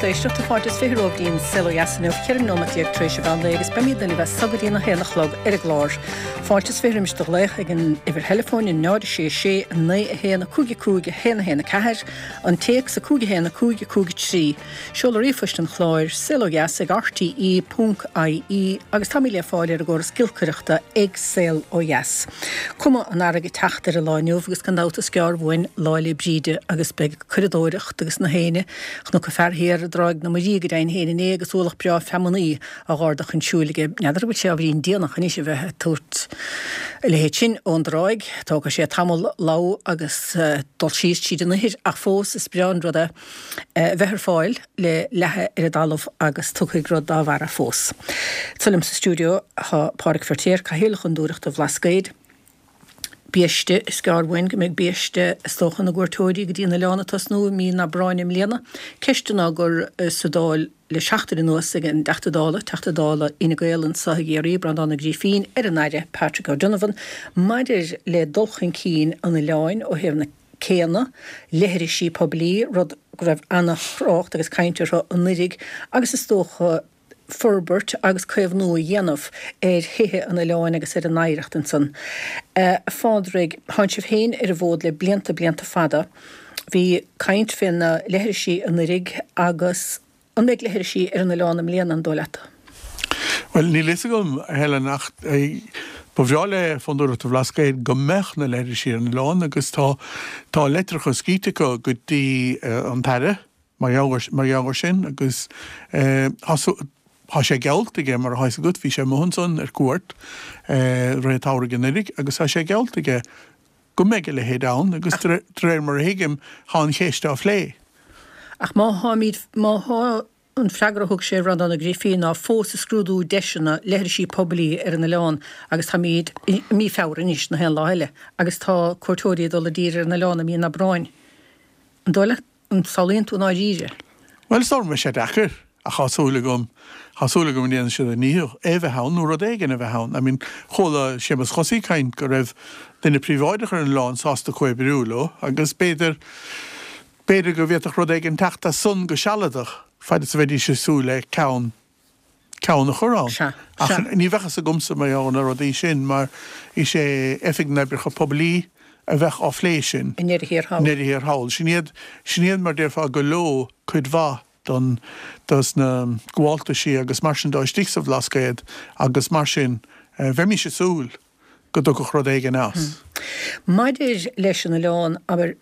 Lucht éisteachta, fáilte is 20 romhaibh dtí'n Saol Ó Dheas inniu, 14 nóiméad tar éis an mheán lae agus beimid libh as so go dtí'n 1 a chlog ar an gclár. Fáilte is 20 roimis do ghlaoch ag an uimhir theileafóin 0 6 6 9 1 5 5 1 1 4, an téacs 5 1 5 5 3. Seoladh ríomhphoist an chláir, saolodheas ag rte ponc ie agus táimid le fáil ar an gcóras giolcaireachta ag Saol Ó Dheas. Cuma an earraigh ag teacht ar an lá inniu agus gan dabht is gearr uainn Lá 'le Bríde agus beidh curadóireacht agus na héinne. Chonac fear thiar i dTráigh na Muirí go deimhin féin inné agus ualach breá feamnaí á dh'ardú chun siúil aige. N'fheadar an bhfuil sé ábhairín déanach anois a bheith ag tabhairt a leithéid sin ón dtráigh. Tógfaidh sé tamall lamh agus dul síos tríd an ithir ach fós is breá an rud é a bheith ar fáil le leathadh ar an dtalamh agus tugtha ag rud dá bharra fós. Anseo liom sa stiúideo tá Pádraic Feirtéar, Cathaoirleach Fhondúireachta Bhlascaoid. Biaiste, Is gearr uainn go mbeidh biaiste is dócha na gcuairteoirí go dtí an oileán ag tosnú i mí an Aibreáin i mbliana. Ceisteanna á gcur sa Dáil le seachtain anuas ag an dTeachta Dála, Teachta Dála Fhine Gael anseo i gCiarraí, Breandán Ó Grífín, ar an Aire Patrick O'Donovan maidir le dul chun cinn an oileáin ó thaobh na céanna, leithrisí poiblí, rud go raibh ana-thrácht agus caint orthu anuiridh agus is dócha forbairt agus caomhnú a dhéanamh ar thithe an oileáin agus ar an oidhreacht ansan. A Phádraig, thánn sibh féin ar an bhfód le blianta, blianta fada. Bhí caint fé na leithrisí anuiridh agus an mbeidh leithrisí ar an oileán i mbliana, an dóigh leat? Bhuel, níl a fhios agam, a Helen, ach ba bhreá le Fondúireacht an Bhlascaoid go mbeadh na leithrisí ar an oileán agus tá, tá leitreacha scríte acu go dtí an tAire, Mar gheall ar sin, agus tá sé geallta aige, mar atá fhios agat, bhí sé amuigh ansan ar cuairt i rith an tsamhraidh anuiridh agus tá sé geallta aige go mbeidh a leithéid ann agus de réir mar a thuigim, tá an cheist á phlé. Ach má tháimid, má thá an freagra a thug sé ar Bhreandán Ó Grífín ná fós ag scrúdú deiseanna leithrisí poiblí ar an oileán agus táimid i mí Feabhra anois, na haon lá eile, agus tá cuairteoirí ag dul i dtír ar an oileán i mí an Aibreáin. An dóigh leat An samhlaíonn tú i ndáiríre? Bhuel, is dóigh go mbeidh sé deacair, ach tá súil agam, tá súil agam go ndéanfaidh siad a ndícheall é a bheith ann nó rud éigin a bheith ann. I mean, chuala Séamus Chosaí ag caint go raibh duine príobháideach ar an oileán sásta comhoibriú leo agus b'fhéidir, b'fhéidir go bhféadfadh rud éigin teacht as san go sealadach, fad is a bheidís ag súil le ceann. ceann a chur ann. Sea. Ach ní bheadh fhios agamsa mar gheall ar na rudaí sin mar is é Oifig na nOibreacha Poiblí a bheadh á phlé sin. I ndeireadh thiar thall. I ndeireadh thiar thall. Sin iad, sin iad mar déarfá gur leo cuid mhaith don, dos na gabháltaisí agus mar sin de istigh sa Bhlascaod agus mar sin bheimis ag súil go dtiocfadh rud éigin as. Maidir leis an oileán, abair,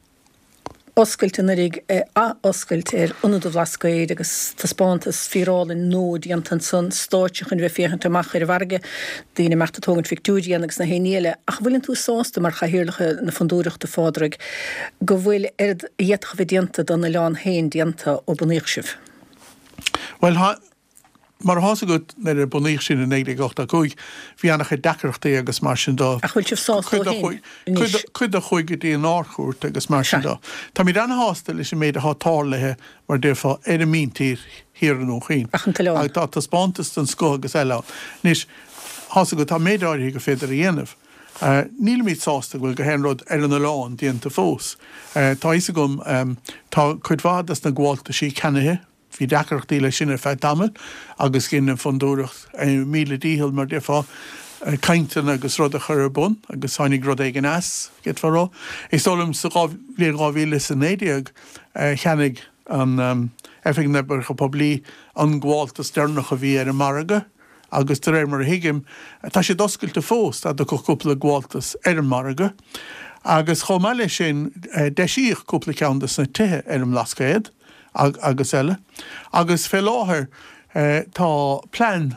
oscailt anuiridh, ath-oscailt ar Ionad an Bhlascaoid agus taispeántas fíorálainn nua déanta ansan, stáitse chun bheith féachaint amach ar an bhfarraige, daoine imeacht ag tógaint phictiúirí ann agus na haon ní eile. Ach an bhfuileann tú sásta mar chathaoirleach na Fondúireachta, a Phádraig, go bhfuil oiread a d'fhéadfadh a bheith déanta don oileán féin déanta ó bunaíodh sibh? Bhuel, tá. Mar atá fhios agat, nuair a bunaíodh sinn i 1985, bhí an-chuid deacrachtaí agus mar sin de. Ach bhfuil sibh sásta ó shin anois? Cuid de chuaigh go dtí an Ard-Chúirt agus mar sin de. Táimid an-shásta leis an méid atá tarlaithe, mar a déarfá, ar an míntír thiar i nDún Chaoin. Ach an t-oileán. Tá taispeántas den scoth agus eile ann. Anois, tá fhios agat, tá méid áirithe gur féidir a dhéanamh. Nílimid sásta go bhfuil gach aon rud ar an oileán déanta fós. Tá fhios agam, tá cuid mhaith des na gabháltaisí ceannaithe, Bhí deacrachtaí leis sin ar feadh tamaill agus dhein an Fondúireacht a míle dícheall, mar déarfá, cainteanna agus rud a chur ar bun agus tháinig rud éigin as, d'fhéadfá a rá. Is dóigh liom sa bhliain 2019 cheannaigh an Oifig na nOibreacha Poiblí an gabháltas deireanach a bhí ar an margadh agus de réir mar a thuigim tá siad oscailte fós dá dtiocfadh cúpla gabháltas ar an margadh agus chomh maith leis sin deisíodh cúpla ceann de sna tithe ar an mBlascaod. agus eile. Agus fé láthair tá plean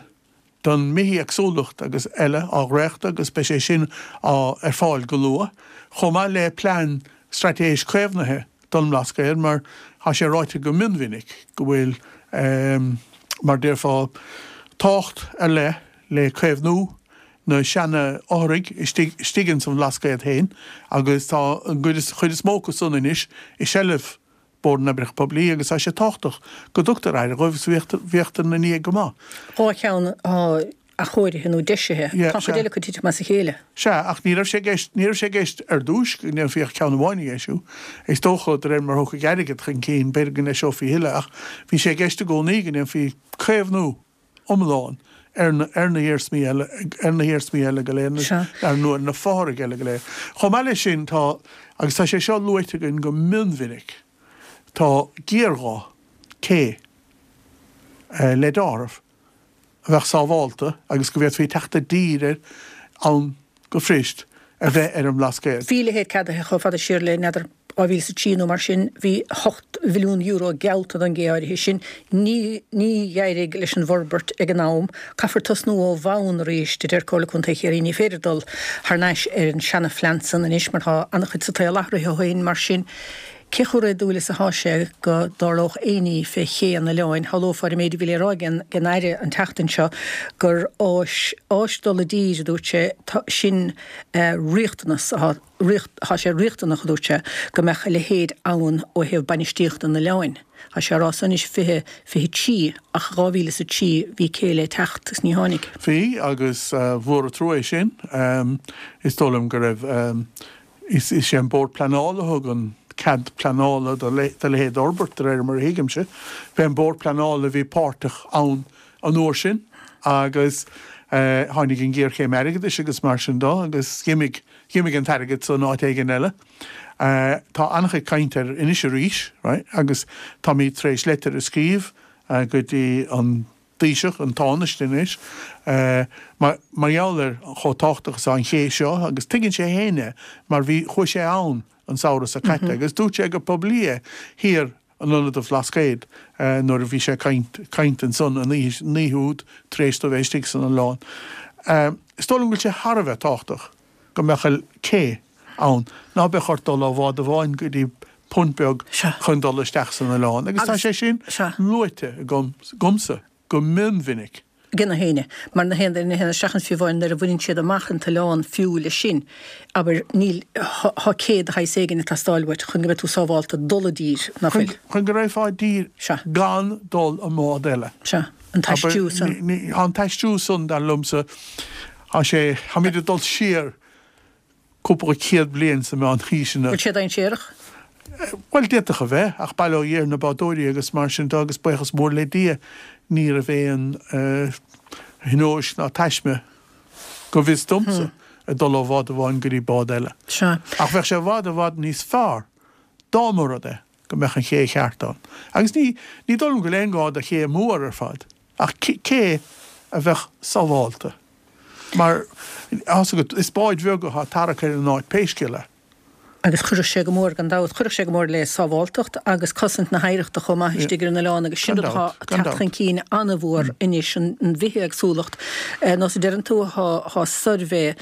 don mbithéagsúlacht agus eile á dhréachtadh agus beidh sé sin á ar fáil go luath, chomh maith le plean straitéis caomhnaithe don mBlascaod mar tá sé ráite go mionmhinic go bhfuil mar déarfá tábhacht ar leith le caomhnú na seana fhothraigh istigh istigh ins an Bhlascaod féin agus tá an chuid is mó acu san anois i seilbh Bord na nOibreacha Poiblí agus tá sé tábhachtach go dtugtar aire dhóibh agus bhíodar ina ndiaidh go maith. 2 cheann atá. athchóirithe nó deisithe. Yeah, Tá an chuid sea. eile acu ag titim as a chéile. Sea, ach ní raibh sé i gceist, ní raibh sé i gceist ar dtúis go ndéanfaí ach ceann amháin a dheisiú. Is dócha, de réir mar a thiocfaidh airgead chun cinn, b'fhéidir go ndeiseofaí a thuilleadh, ach bhí sé i gceist i gcónaí go ndéanfaí caomhnú iomlán ar na, ar na hiarsmaí eile, ar na hiarsmaí eile go léir, Sea. ar, nó ar na fothraigh eile go léir. Chomh maith leis sin, tá, agus tá sé seo luaite againn go mionmhinic, tá géarghá cé le d'áireamh a bheadh sábhálta agus go bhféadfaí teacht i dtír air ann go fuirist a bheith ar an mBlascaod. Bhí a leithéid ceadaithe chomh fada siar le, n'fheadar, 2003 nó mar sin, bhí €8 mhilliún geallta don gcé áirithe sin. Ní, ní d'éirigh leis an bhforbairt ag an am. Caithfear tosnú ó bhonn arís, a deir Comhairle Contae Chiarraí. Ní féidir dul thar n-ais ar an seana-phlean san anois mar tá an-chuid sa tsaol athraithe ó shin. Mar sin, Cé chomh réadúil is atá sé go dtarlódh aon ní fé ché an oileáin? Shamhlófá ar an méid a bhí le rá ag an Aire an tseachtain seo gur áis, áis dul i dtír, a dúirt sé, sin riachtanas, tá sé riachtanach, a dúirt sé, go mbeadh a leithéid ann ó thaobh bainistíochta an oileáin. Tá sé á rá san anois 2023 ach 2003 bhí cé le teacht agus ní tháinig. Bhí, agus mhór an trua é sin. Is dóigh liom go raibh Is é an Bord Pleanála a thug an cead pleanála do leithéid d'fhorbairt, de réir mar a thuigimse. B'é an Bord Pleanála a bhí páirteach ann an uair sin agus tháinig an ghéarchéim airgeadais agus mar sin de agus dh'imigh, dh'imigh an t-airgead san áit éigin eile. Tá an-chuid cainte air anois arís, right, agus táimid tar éis leitir a scríobh go dtí an. Taoiseach, an Tánaiste anois, mar gheall ar chomh tábhachtach is atá an ché seo agus tuigeann sé féin é mar bhí, chuaigh sé ann an samhradh seo caite agus dúirt sé go poiblí é thiar in Ionad an Bhlascaoid nuair a bhí sé ag caint, caint ansan an oíche, an oíche úd tar éis dó bheith istigh san oileán. Is dóigh liom go bhfuil sé thar a bheith tábhachtach go mbeadh cé ann ná beadh ort dul ó bhád amháin go dtí punt beag chun dul isteach san oileán agus tá sé sin luaite agam, agamsa go mionmhinic. ag na héinne, mar na haon duine a théann isteach ann fiú amháin nuair a bhaineann siad amach an t-oileán fiú leis sin, abair, níl, tá cé de shaghas éigin ag teastáil uait chun go mbeidh tú sábhálta dul i dtír, nach bhfuil? Chun go raghfá i dtír gan dul i mbád eile. Sea, an t-aistriú san. Tá an t-aistriú san, dar liomsa, tá sé, táimid ag dul siar cúpla céad bliain sna meánaoiseanna. Bhfuil sé dainséarach? Bhuel, d'fhéadfadh a bheith, ach bail ó Dhia ar na bádóirí agus mar sin de agus buíochas mór le Dia ní raibh aon thionóisc ná taisme, go bhfios domsa, ag dul ó bhád amháin go dtí bád eile. Sea. Ach bheadh sé i bhfad, i bhfad níos fearr dá mba rud é go mbeadh an ché cheart ann. Agus ní, ní dóigh liom go bhfuil aon ghá do ché mór ar fad, ach cé a bheadh sábhálta. Mar, tá's agat, is báid bheaga atá ag tarrac ar an áit pé scéal é. Agus chuirfeadh sé go mór, gan dabht, chuirfeadh sé go mór le sábháltacht agus cosaint na hoidhreachta chomh maith istigh ar an oileán agus sin rud atá ag teacht chun cinn an-mhór anois, an bhithéagsúlacht. Nós a deireann tú, tá suirbhé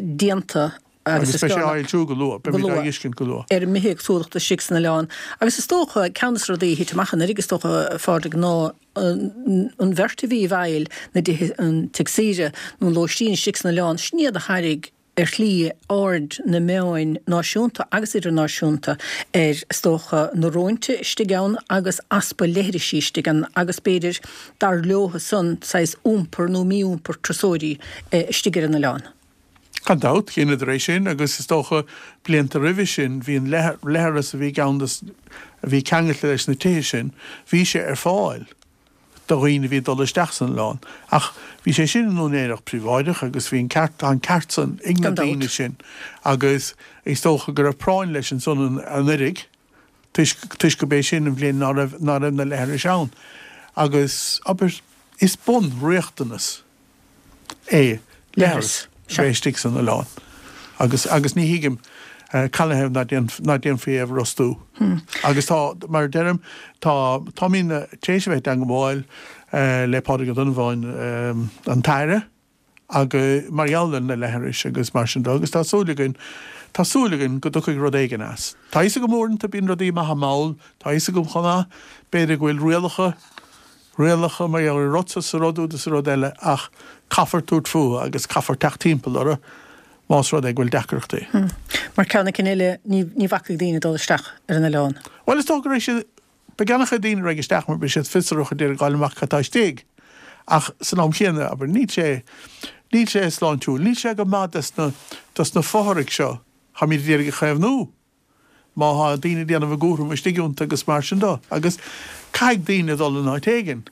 déanta agus is beidh sé á fhoilsiú go luath, beimid á fheiscint go luath. ar an mbithéagsúlacht istigh san oileán. Agus is dócha, ceann de na rudaí a thit amach anuraidh, is dócha, a Phádraig, ná an bheirt a bhí i bhfeighil na dtithe, an tigh saoire nó an lóistín istigh san oileán, sin iad a thairrig ar shlí aird na meáin náisiúnta agus idirnáisiúnta ar, is dócha, na róinte istigh ann agus easpa leithrisí istigh ann agus b'fhéidir, dar leotha san, saghas iompar nó mí-iompar turasóirí istigh ar an oileán. Gan dabht, dheineadar é sin agus is dócha blianta roimhe sin bhí an leithreas a bhí ann a bhí ceangailte leis na tithe sin, bhí sé ar fáil do dhaoine a bhí ag dul isteach san oileán. Ach bhí sé sin in úinéireacht príobháideach agus bhí an ceart, tá an ceart san ag na daoine sin agus is dócha go raibh práinn leis ansan anuraidh toisc, toisc go b'é sin an bhliain ná raibh, ná raibh na leithris ann. Agus, abair, is bunriachtanas. é leithreas a bheith istigh san oileán agus agus ní thuigim canathaobh ná déanfaí é a bhrostú. Agus tá, mar a deirim, tá, táimid tar éis a bheith i dteangmháil le Pádraig Ó Donnabháin, an tAire, agus mar gheall ar na leithris agus mar sin de agus tá súil againn, tá súil againn go dtiocfaidh rud éigin as. Tá a fhios agam uaireanta bíonn rudaí maithe mall, tá a fhios agam chomh maith, b'fhéidir go bhfuil rialacha, rialacha mar gheall ar an rud seo is an rud úd is an rud eile ach caithfear tabhairt fúthu agus caithfear teacht timpeall orthu más rud é go bhfuil deacrachtaí. Mar ceann na cinn eile, ní ní bhacfaidh daoine dul isteach ar an oileán. Bhuel, is dócha go raibh siad, beidh an-chuid daoine a raghaidh isteach mar beidh siad fiosrach ag iarraidh fháil amach cad tá istigh. Ach san am chéanna, abair, níl sé, níl sé sláintiúil, níl sé go maith dos na, dos na fothraigh seo, táimid ag iarraidh a chaomhnú. Má thá daoine ag déanamh a gcúram istigh iontu agus mar sin do. Agus caithfidh daoine dul in áit éigin.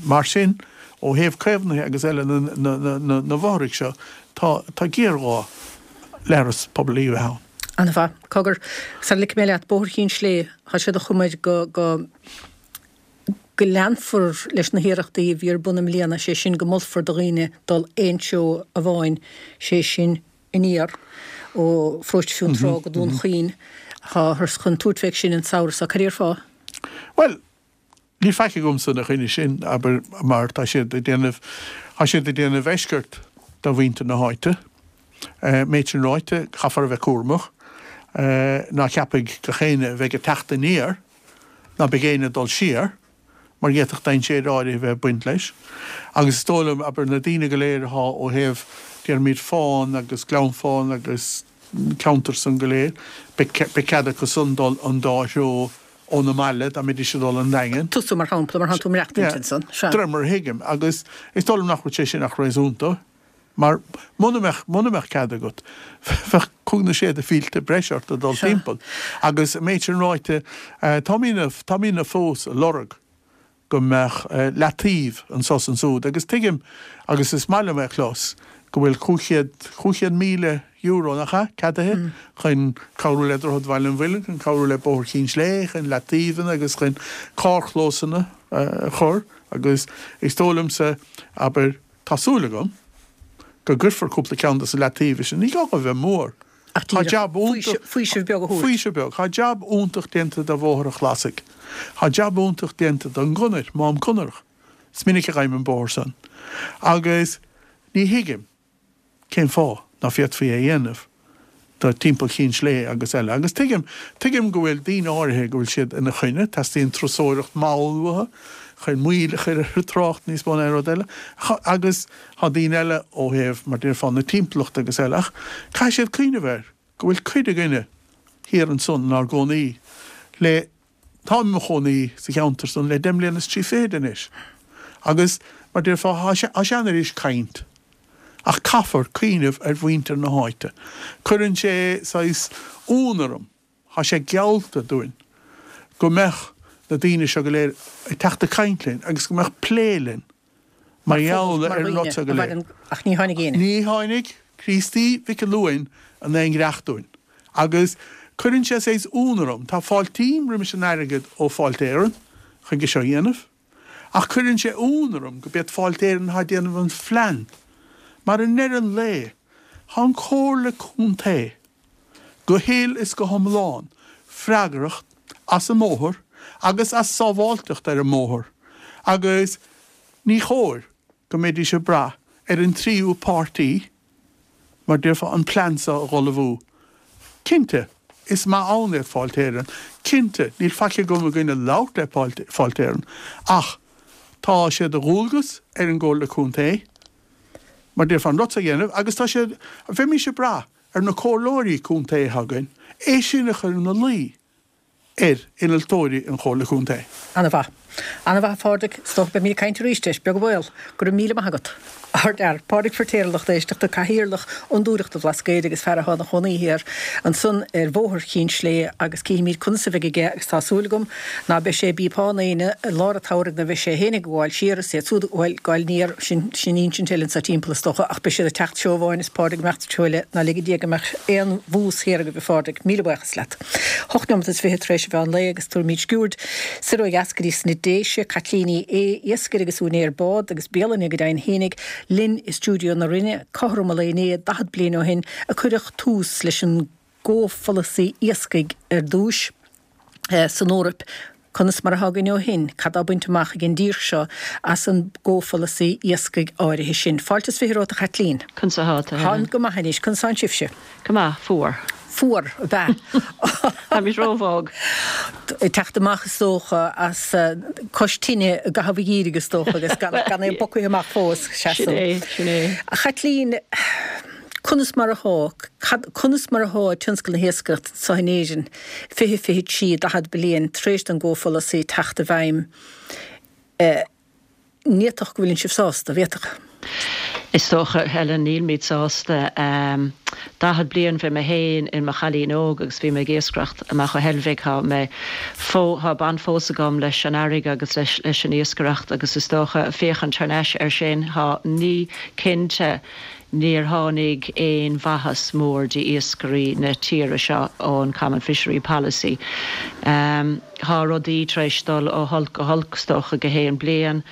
Mar sin, ó thaobh caomhnaithe agus eile na bhfothraigh seo, tá, tá géarghá leithreas poiblí a bheith ann. An-mhaith. Cogar, sara ligfidh mé leat, Bóthar Chinn Slé, tá sé de chuma air go, go, go leanfar leis na hiarrachtaí a bhí ar bun i mbliana, sé sin go molfar do dhaoine dul aon treo amháin, sé sin aniar ó Pharóiste Fionntrá go Dún Chaoin. Táthar chun tabhairt fé sin an samhradh seo. Cad é ar fáth? Bhuel, níl faic agamsa ina choinne sin, abair, mar tá siad ag déanamh, tá siad ag déanamh eisceacht do mhuintir na háite. Méid sin ráite, caithfear a bheith cúramach. Ná ceapaidh gach éinne a bheidh ag teacht aniar ná beidh éinne ag dul siar. mar d'fhéadfadh dainséir áirithe a bheith ag baint leis. Agus is dóigh liom, abair, na daoine go léir athá ó thaobh, déarfaimid, Fán agus Gleann Fána agus ceantar san go léir, beidh cead acu san dul an dá threo óna mbaile dá mbeidís ag dul an Daingean. Tusa, mar shampla, mar thánn tú ag maireachtaint ansan. Sea. De réir mar a thuigim. Agus is dóigh liom nach bhfuil sé sin ach réasúnta. Mar muna mbeadh, muna mbeadh cead agat, bheadh cúig nó sé de mhílte breise ort ag dul timpeall. Agus an méid sin ráite, táimidne, táimidne fós ag lorg go mbeadh leataobh anso is ansúd. Agus tuigim, agus is maith liom é a chlos, go bhfuil €500, €500,000, nach ea, ceadaithe chun cabhrú le Droichead Bhaile an Mhuilinn, chun cabhrú le Bóthar Chinn Slé, chun leataobhanna agus chun carrchlósanna a chur. Agus is dóigh liomsa, abair, Tá súil agam go gcuirfear cúpla ceann de na leataobha sin. Ní gá dóibh bheith mór. Ach Tá jab iontach. Faoiseamh beag a thabhairt. Faoiseamh beag. Tá jab iontach déanta de Bhóthar an Chlasaigh. Tá jab iontach déanta don gconair, Mám Conarach. Is minic a ghabhaim an bóthar san. Agus ní thuigim. Cén fáth ná féadfaí é a dhéanamh do timpeall Chinn Slé agus eile? Agus tuigim, tuigim go bhfuil daoine áirithe go bhfuil siad ina choinne, teastaíonn turasóireacht mhall uathu chun moill a chur ar an trácht níos mó ná aon rud eile, agus tá daoine eile ó thaobh, mar déarfá, na timpeallachta agus eile, ach caithfidh siad cuimhneamh air go bhfuil cuid againne thiar ansan inár gcónaí le Táim i mo chónaí sa cheantar san le deich mbliana is trí fichid anois agus, mar déarfá, thá sé an-fhuirist caint ach caithfear cuimhneamh ar mhuintir na háite. Cuireann sé saghas ionadh orm, thá sé geallta dúinn go mbeadh na daoine seo go léir ag teacht ag caint linn agus go mbeadh plé linn. Mar gheall ar an rud seo go léir. Ach ní tháinig éinne. Ní tháinig Críostaí Mhic an Luain in aon ghreach dúinn. Agus cuireann sé saghas ionadh orm. Tá fáiltím roimis an airgead ó Fáilte Éireann chun é seo a dhéanamh. Ach cuireann sé ionadh orm go b'iad Fáilte Éireann atá ag déanamh an phlean. Mar i ndeireadh an lae, tá an Comhairle Contae go huile is go hiomlán freagrach as an mbóthar agus as sábháilteacht ar an mbóthar agus ní chóir go mbeidís ag brath ar an tríú páirtí, mar déarfá, an plean seo a dh'ullmhú. Cinnte, is maith ann iad Fáilte Éireann. Cinnte, níl faic agam i gcoinne labhairt le Fáilte Éireann ach tá sé de dhualgas ar an gComhairle Contae, mar déarfá, an rud seo a dhéanamh agus tá sé, bheimis ag brath ar na comhairleoirí contae atá againn é sin a chur ina luí ar innealtóirí an Chomhairle Contae. Ana-mhaith. Ana-mhaith, a Phádraig. Is dócha beimid ag caint arís air, beag an baol. Go raibh míle maith agat. Ardfhear. Pádraig Feirtéar, a lucht éisteachta, Cathaoirleach Fhondúireachta Bhlascaoid agus fear atá ina chónaí thiar ansan ar Bhóthar Chinn Slé agus cífimid conas a bheidh aige agus tá súil agam ná beidh sé ag bípeáil éinne i lár an tsamhraidh nuair a bheidh sé féin ag gabháil siar is iad siúd ag gabháil aniar, sin, sin insint eile anso timpeall is dócha ach beidh siad ag teacht treo amháin is Pádraig ag imeacht treo eile, ná lige Dia go mbeadh aon bhús thiar agaibh a Phádraig. Míle buíochas leat. Hocht neomat is fiche tar éis an mheán lae agus tabharfaimid sciuird soir ó dheas go dtí sna Déise, Caitlín Ní Aodha, iascaire agus úinéir bád agus bialainne go deimhin fhéinig, linn i stiúideo na Rinne, cothrom an lae inné, 40 bliain ó shin, a cuireadh tús leis an gcomhpholasaí iascaigh ar dtúis san Eoraip. Conas mar atá againn ó shin? Cad tá bainte amach ag an dtír seo as an gcomhpholasaí iascaigh áirithe sin? Fáilte is fiche romhat a Chaitlín. Conas atá tú, Helen? Táim go maith anois. Conas tánn sibhse? Go maith, fuar. Fuar, ab ea? Táimid róbhog. Ag teacht amach is dócha as cois tine i gcaitheamh an gheimhridh is dócha agus gan é bogtha amach fós. Sin é, sin é. A Chaitlín, conas mar atá, cad, conas mar atá tionscal na hiascaireachta anseo in Éirinn 20, 23, 40 bliain tar éis don gcomhpholasaí teacht i bhfeidhm? Ní fhéadfadh go bhfuileann sibh sásta, bhféadfadh? Is dócha, Helen, nílimid sásta. 40 bliain bhí mé féin in mo chailín óg agus bhí mé ag iascaireacht amach ó Heilbhic. Tá mé fó, tá baint fós agam leis an fharraige agus leis, leis an iascaireacht agus is dócha, féachaint thar n-ais air sin, tá, ní, cinnte, níor tháinig aon mhaitheas mór d'iascairí na tíre seo ón Common Fishery Policy. Thá rudaí tar éis dul ó holc go holc, is dócha, gach aon bliain.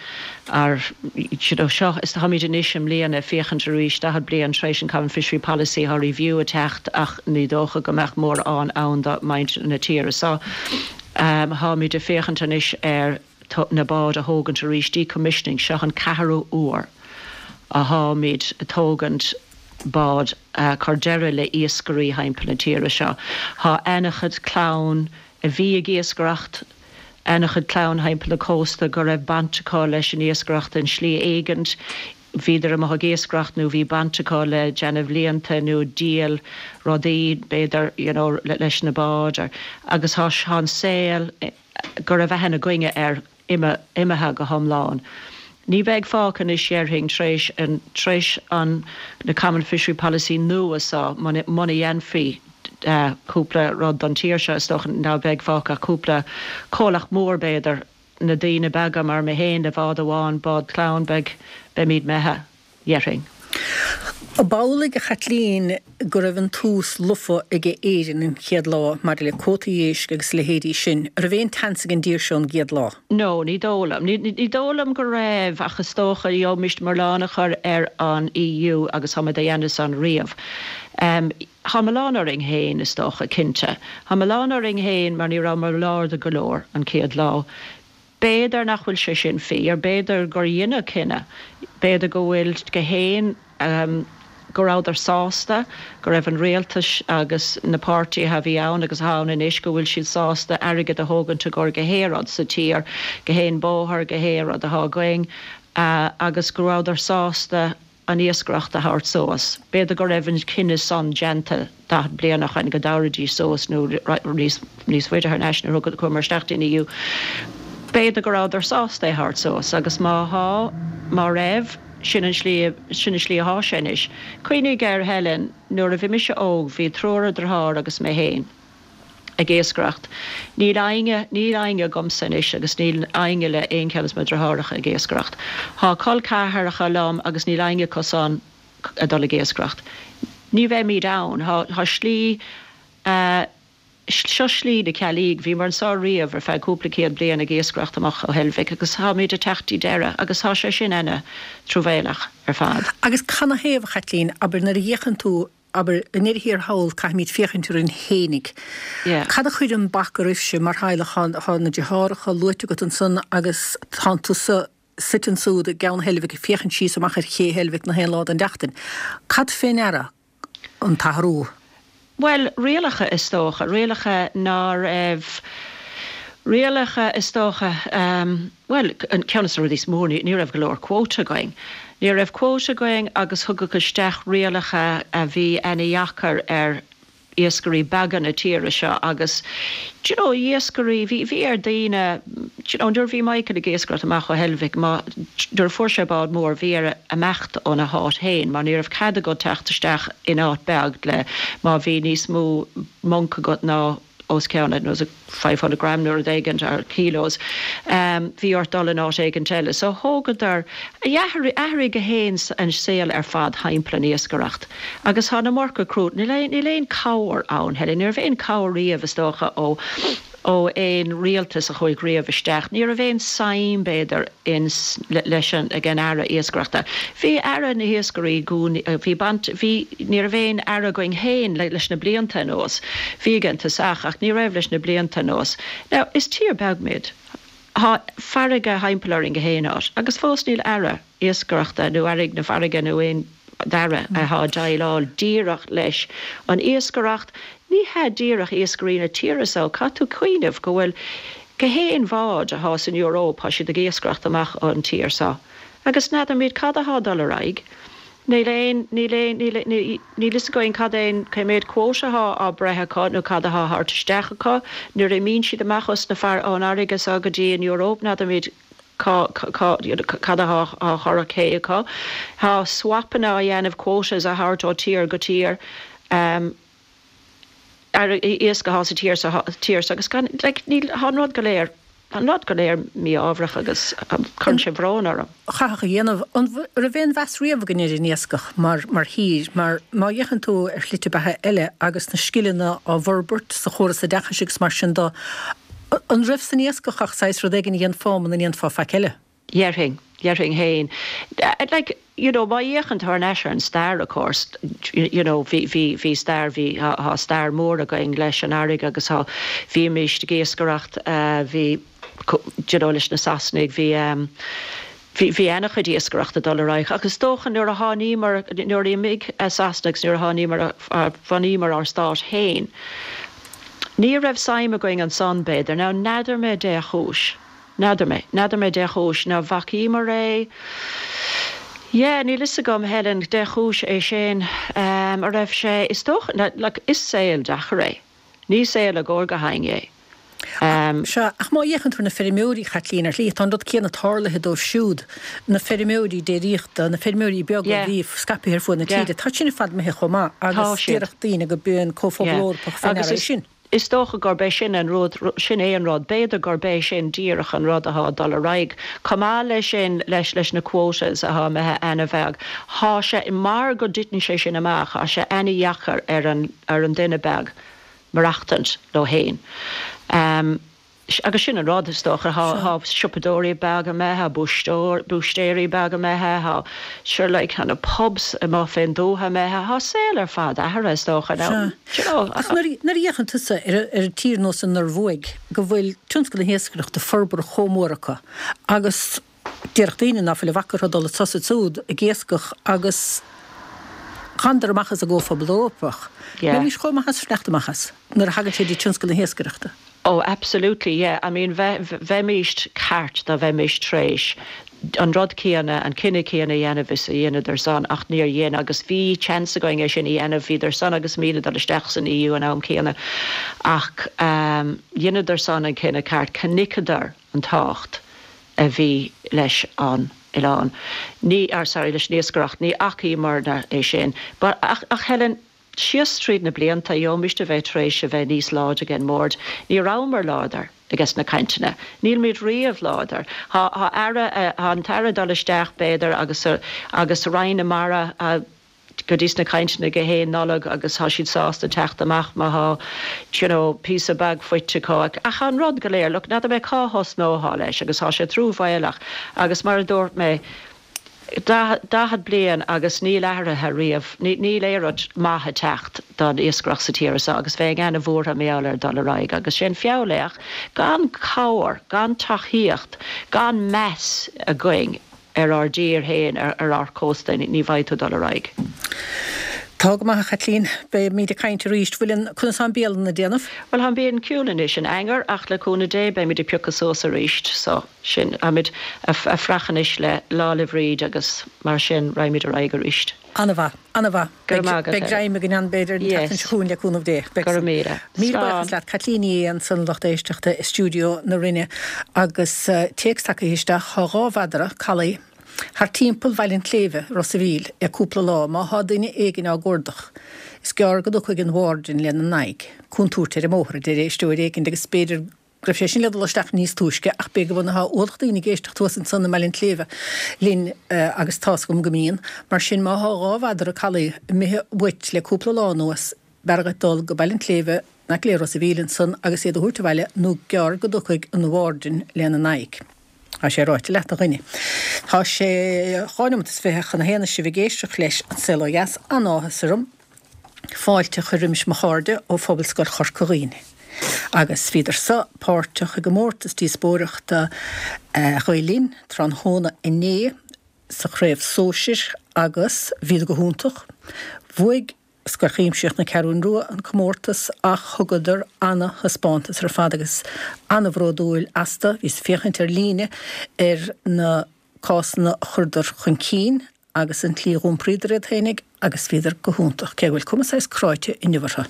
Ar, you know, seo, is táimid anois i mbliana ag féachaint arís, 40 bliain tar éis an Common Fishery Policy, thá review ag teacht ach ní dócha go mbeadh mórán ann do mhuintir na tíre so. Tháimid ag féachaint anois ar na báid a thógaint arís, decommissioning, seo an ceathrú uair a tháimid ag tógaint bád, cur deireadh le iascairí thimpeall na tíre seo. Thá ana-chuid clann a bhí ag iascaireacht, ana-chuid clann thimpeall na cósta go raibh baint acu leis an iascaireacht in slí éigint, bhíodar amuigh ag iascaireacht nó bhí baint acu le déanamh líonta nó díol rudaí b'fhéidir you know leis na báid or agus thá an saol go raibh aithne againne air imithe go hiomlán. Ní bheidh fágtha anois dhéarfainn tar éis an tar éis an na Common Fishery Policy nua so muna muna dhéanfaí cúpla rud don tír seo is dócha ná beidh fágtha ach cúpla comhlacht mór b'fhéidir na daoine beaga mar mé féin le bád amháin bád clann beidh beimid imithe. dhéarfainn. Ab amhlaidh, a Chaitlín, go raibh an tús lofa aige Éirinn an chéad lá maidir le cuótaí éisc agus a leithéidí sin? An raibh aon tseans ag an dtír seo an gcéad lá? No, ní dóigh liom. Ní dóigh liom go raibh ach is dócha gheobhaimis milleán a chur ar an EU agus táimid á dhéanamh san riamh. Tá milleán orainn féin, is dócha, cinnte. Tá milleán orainn féin mar ní rabhamar lárda go leor an chéad lá. B'fhéidir nach bhfuil sé sin fíor, b'fhéidir gur dheineadh cinneadh, b'fhéidir go bhfuil go haon, go rabhadar sásta, go raibh an rialtas agus na páirtithe a bhí ann agus atá ann anois, go bhfuil siad sásta airgead a thógaint i gcomhair gach aon rud sa tír, gach aon bóthar, gach aon rud atá againn agus go rabhadar sásta an iascaireacht a thabhairt suas. B'fhéidir go raibh an cinneadh san déanta 40 bliain ó shoin go dtabharfaidís suas nó níos níos faide thar n-ais nuair a chuamar isteach dtí'n EU. B'fhéidir go rabhadar sásta é a thabhairt suas agus má thá, má raibh, sin an slí, sin an slí athá sé anois. Cuimhnigh air Helen, nuair a bhí mise óg bhí triúr deartháir agus mé fhéin. ag iascaireacht. Níl éinne, níl éinne agamsa anois agus níl éinne le aon cheann de mo dhriotháireacha ag iascaireacht. Thá col ceathracha liom agus níl éinne acu san ag dul ag iascaireacht. Ní bheimíd ann. Thá, thá slí, eh, seo slí na ceallaigh. Bhíomar anso riamh ar feadh cúpla céad bliain ag iascaireacht amach ó Heilbhic agus tháimíd ag teacht dtí deireadh agus thá sé sin ana truamhéalach ar fad. Agus canathaobh, a Chaitlín, abair nuair a fhéachann tú Abair, i ndeireadh thiar thall, caithfimid féachaint orainn fhéinig. Cad a chuireann bac oraibhse mar theaghlach? Tá na deartháireacha luaite agat ansan agus tánn tusa suite ansúd i gCeann Heilbhic ag féachaint síos amach ar ché Heilbhic na haon lá den tseachtain. Cad fé ndeara an t-athrú? Bhuel, rialacha is dócha. Rialacha ná raibh, rialacha is dócha, Bhuel, ceann de na rudaí is mó, ní raibh go leor quota againn. Ní raibh quota againn agus tugadh isteach rialacha a bhí ana-dheacair ar iascairí beaga na tíre seo agus, do you know, iascairí, bhí, bhí ar daoine, do you know, nuair a bhí Michael ag iascaireacht amach ó Heilbhic, má, nuair a fuair sé bád mór, bhí air imeacht óna háit féin mar ní raibh cead agat teacht isteach in áit beag le, má bhí níos mó monc agat ná os cionn, I don't know, 500 gram nó rud éigin, or kilos, bhí ort dul in áit éigint eile. So thógadar, athraigh go haon an saol ar fad thimpeall an iascaireacht. Agus tá an iomarca crú, níl aon, níl aon cabhair ann, Helen, ní raibh aon cabhair riamh is dócha ó, ó aon rialtas a chuaigh riamh isteach. Ní raibh aon suim b'fhéidir in, leis an, ag an Aire Iascaireachta. Bhí Aire na hIascairí, bhí baint, bhí, ní raibh aon Aire againn féin leis na blianta anuas. Bhí ag an tosach ach ní raibh leis na blianta anuas. Now, is tír beag muid. Thá farraige thimpeall orainn gach aon áit agus fós níl Aire Iascaireachta nó Aire na Farraige nó aon Aire athá ag déileáil díreach leis an iascaireacht. Ní hea díreach iascairí na tíre so, caithfidh tú cuimhneamh go bhfuil gach aon bhád athá san Euróip, thá siad ag iascaireacht amach ón tír so. Agus n'fheadair muid cad athá ag dul ar aghaidh. Níl aon, níl aon, níl, níl fhios againn cad é an, cé méad quota athá á breith acu nó cad athá á thabhairt isteach acu. Nuair a imíonn siad amach os na far, ón fharraige so go dtí an Euróip, n'fheadair muid. Cá, cá, cad athá á chur ar cé acu? Tá swapanna á dhéanamh, quotas á thabhairt ó tír go tír, ar iasc athá sa tír sa tír so agus gan, like, níl, thá an rud go léir, tá an rud go léir mí-ámharach agus cuireann sé bhrón orm. Chaithfeadh a dhéanamh. An raibh aon mheas riamh againn ar an iascach mar, mar thír? Mar má fhéachann tú ar shlite beatha eile agus na scileanna á bhforbairt sa chóras oideachais agus mar sin de, An raibh san iascach ach saghas rud éigin a dhéanfá muna ndéanfá faic eile? Dhéarfainn, dhéarfainn fhéin. Like, you know, má fhéachann tú thar n-ais ar an stair, of course, you know, bhí, bhí, bhí stair, bhí, thá, thá stair mór againn leis an fharraige agus thá, bhímíst ag iascaireacht, bhí, you know, leis na Sasanaigh, bhí, Bhí, bhí ana-chuid iascaireachta ag dul ar aghaidh ach is dócha nuair a tháiníomar, nuair a imigh Sasana agus nuair a tháiníomar, a bhunaíomar ár stát féin, ní raibh suim againn ansan b'fhéidir. Now n'fheadar mé dé chúis, n'fheadar mé, n'fheadar mé dé chúis ná bhfacaíomar é, yeah, níl fhios agam Helen, dé chúis é sin, a raibh sé, is dócha, like, is saol deacair é. Ní saol i gcóir gach éinne é. Sea, ach má fhéachann tú ar na feirmeoirí, Chaitlín, ar shlí, tá an rud céanna tarlaithe dóibh siúd, na feirmeoirí déiríochta, na feirmeoirí beaga a bhí scaipthe ar fuaid na tíre, tá sin ar fad imithe chomh maith agus déarfadh daoine go b'é an Comhphobal Eorpach fé ndeara é sin. Is dócha gurb é sin an rud, sin é an rud, b'fhéidir gurb é sin díreach an rud athá ag dul ar aghaidh. Chomh maith leis sin, leis, leis na quotas athá imithe ana-bheag, thá sé, mar go dtiteann sé sin amach, thá sé ana-dheacair ar an, ar an duine beag maireachtaint leo fhéin. Agus sin an rud, is dócha. Thá siopadóirí beaga imithe, thá búistéirí beaga imithe, thá, sure like, thá na pubs amuigh fén dtuath imithe, thá saol ar fad athraithe, is dócha. Now, do you know. Ach nuair a fhéachann tusa ar tír nós an Norvuaig, go bhfuil tionscal na hiascaireachta forbartha chomh mór acu agus, Déarfadh daoine ná fuil a bhac orthu dul anso 's ansúd ag iascach agus thánadar amach as an gComhphobal Eorpach. Bheimís chomh maith as fanacht amach as nuair a thagann sé dtí tionscal na hiascaireachta. Oh absolutely, yeah. I mean bheimíst ceart dá bheimíst tréis an rud céanna, an cinneadh céanna a dhéanamh is a dheineadar san ach níor dhein agus bhí chance againn é sin a dhéanamh, bhíodar san agus muid ag dul isteach san EU an am céanna ach dheineadar san an cinneadh ceart, chonaiceadar an tábhacht a bhí leis an oileán. Ní, or sorry, leis an iascaireacht. Ní fhacaíomarna é sin. But, ach, ach Helen, síos tríd na blianta, gheobhaimist a bheith tar éis a bheith níos láidre ag an mbord. Ní rabhamar láidir ages na cainteanna. Nílimid riamh láidir. Thá, thá aire, thá an t-aire ag dul isteach, b'fhéidir, agus, agus Roinn na Mara, go dtí sna cainteanna go haon Nollaig agus thá siad sásta teacht amach má thá you know píosa beag faighte acu ach thá an rud go léir, look n'fheadar mé cá thosnóthá leis agus thá sé truamhéalach agus mar a dúirt mé 40 bliain agus níl athraithe riamh, níl aon rud maith ag teacht don iascaireacht sa tír seo agus bheinn ana-bhuartha mar gheall ar dul ar aghaidh agus sé'n feall é ach gan cabhair, gan tacaíocht, gan meas againn ar ár dtír féin, ar ár cósta, ní bheidh tú ag dul ar aghaidh. Tá go maith, a Chaitlín. Beimid ag caint arís. Bhfuil an, conas tá an bialann ag déanamh? Bhuel, tá an bialann ciúin anois in eanáir ach le cúnamh Dé beimid ag piocadh suas arís so sin, táimid ag fuireach anois le Lá 'le Bhríd agus mar sin raghaimid ar aghaidh arís. An-mhaith. An-mhaith. Go raibh maith agat. Beidh greim againn ann, b'fhéidir, an tseachtain seo chugainn le cúnamh Dé. Beidh Go raibh míle. Míle buíochas leat. Caitlín Ní Aodha ansan, lucht éisteachta i stiúideo na Rinne agus téacs tagtha isteach. Thá 2 mhadra callaí thart timpeall Bhaile an tSléibhe, Ros a' Mhíl, le cúpla lá. Má thá duine éigin á gcuardach, is gearr go dtiocfaidh an warden lena n-aghaidh. Contúirt ar an mbóthar, a deir éisteoir éigin agus b'fhéidir go raibh sé sin le dul isteach níos túisce ach b'fhéidir go bhfuil ualach daoine ag éisteacht thuas ansan i mBaile an tSléibhe linn agus tá's agam go mbíonn. Mar sin má thá 2 mhadra callaí imithe uait le cúpla lá anuas b'fhearr dhuit dul go Baile an tSléibhe in aice le Ros a' Mhíl ansan agus iad a thabhairt abhaile nó gearr go dtiocfaidh an warden lena n-aghaidh. Tá sé ráite leat, a dhuine. Tá sé 2 neomat is 20 chun a haon is sibh ag éisteacht leis An Saol Ó Dheas. An-áthas orm fáilte a chur roimis mo chairde ó Phobalscoil Chorca Dhuibhne. Agus bhíodar so páirteach i gcomórtas díospóireachta Ghael Linn tráthnóna inné sa chraobh sóisir agus bhíodar go hiontach. Bhuaigh Scoil Chuimsitheach na Ceathrún Rua an comórtas ach thugadar ana-thaispeántas ar fad agus ana-bhródúil astu. Bhíos ag féachaint ar líne ar na cásanna a chuireadar chun cinn agus an tslí a dh'iompraíodar iad féinig agus bhíodar go hiontach, cé go bhfuil cuma saghas cráite inniu orthu.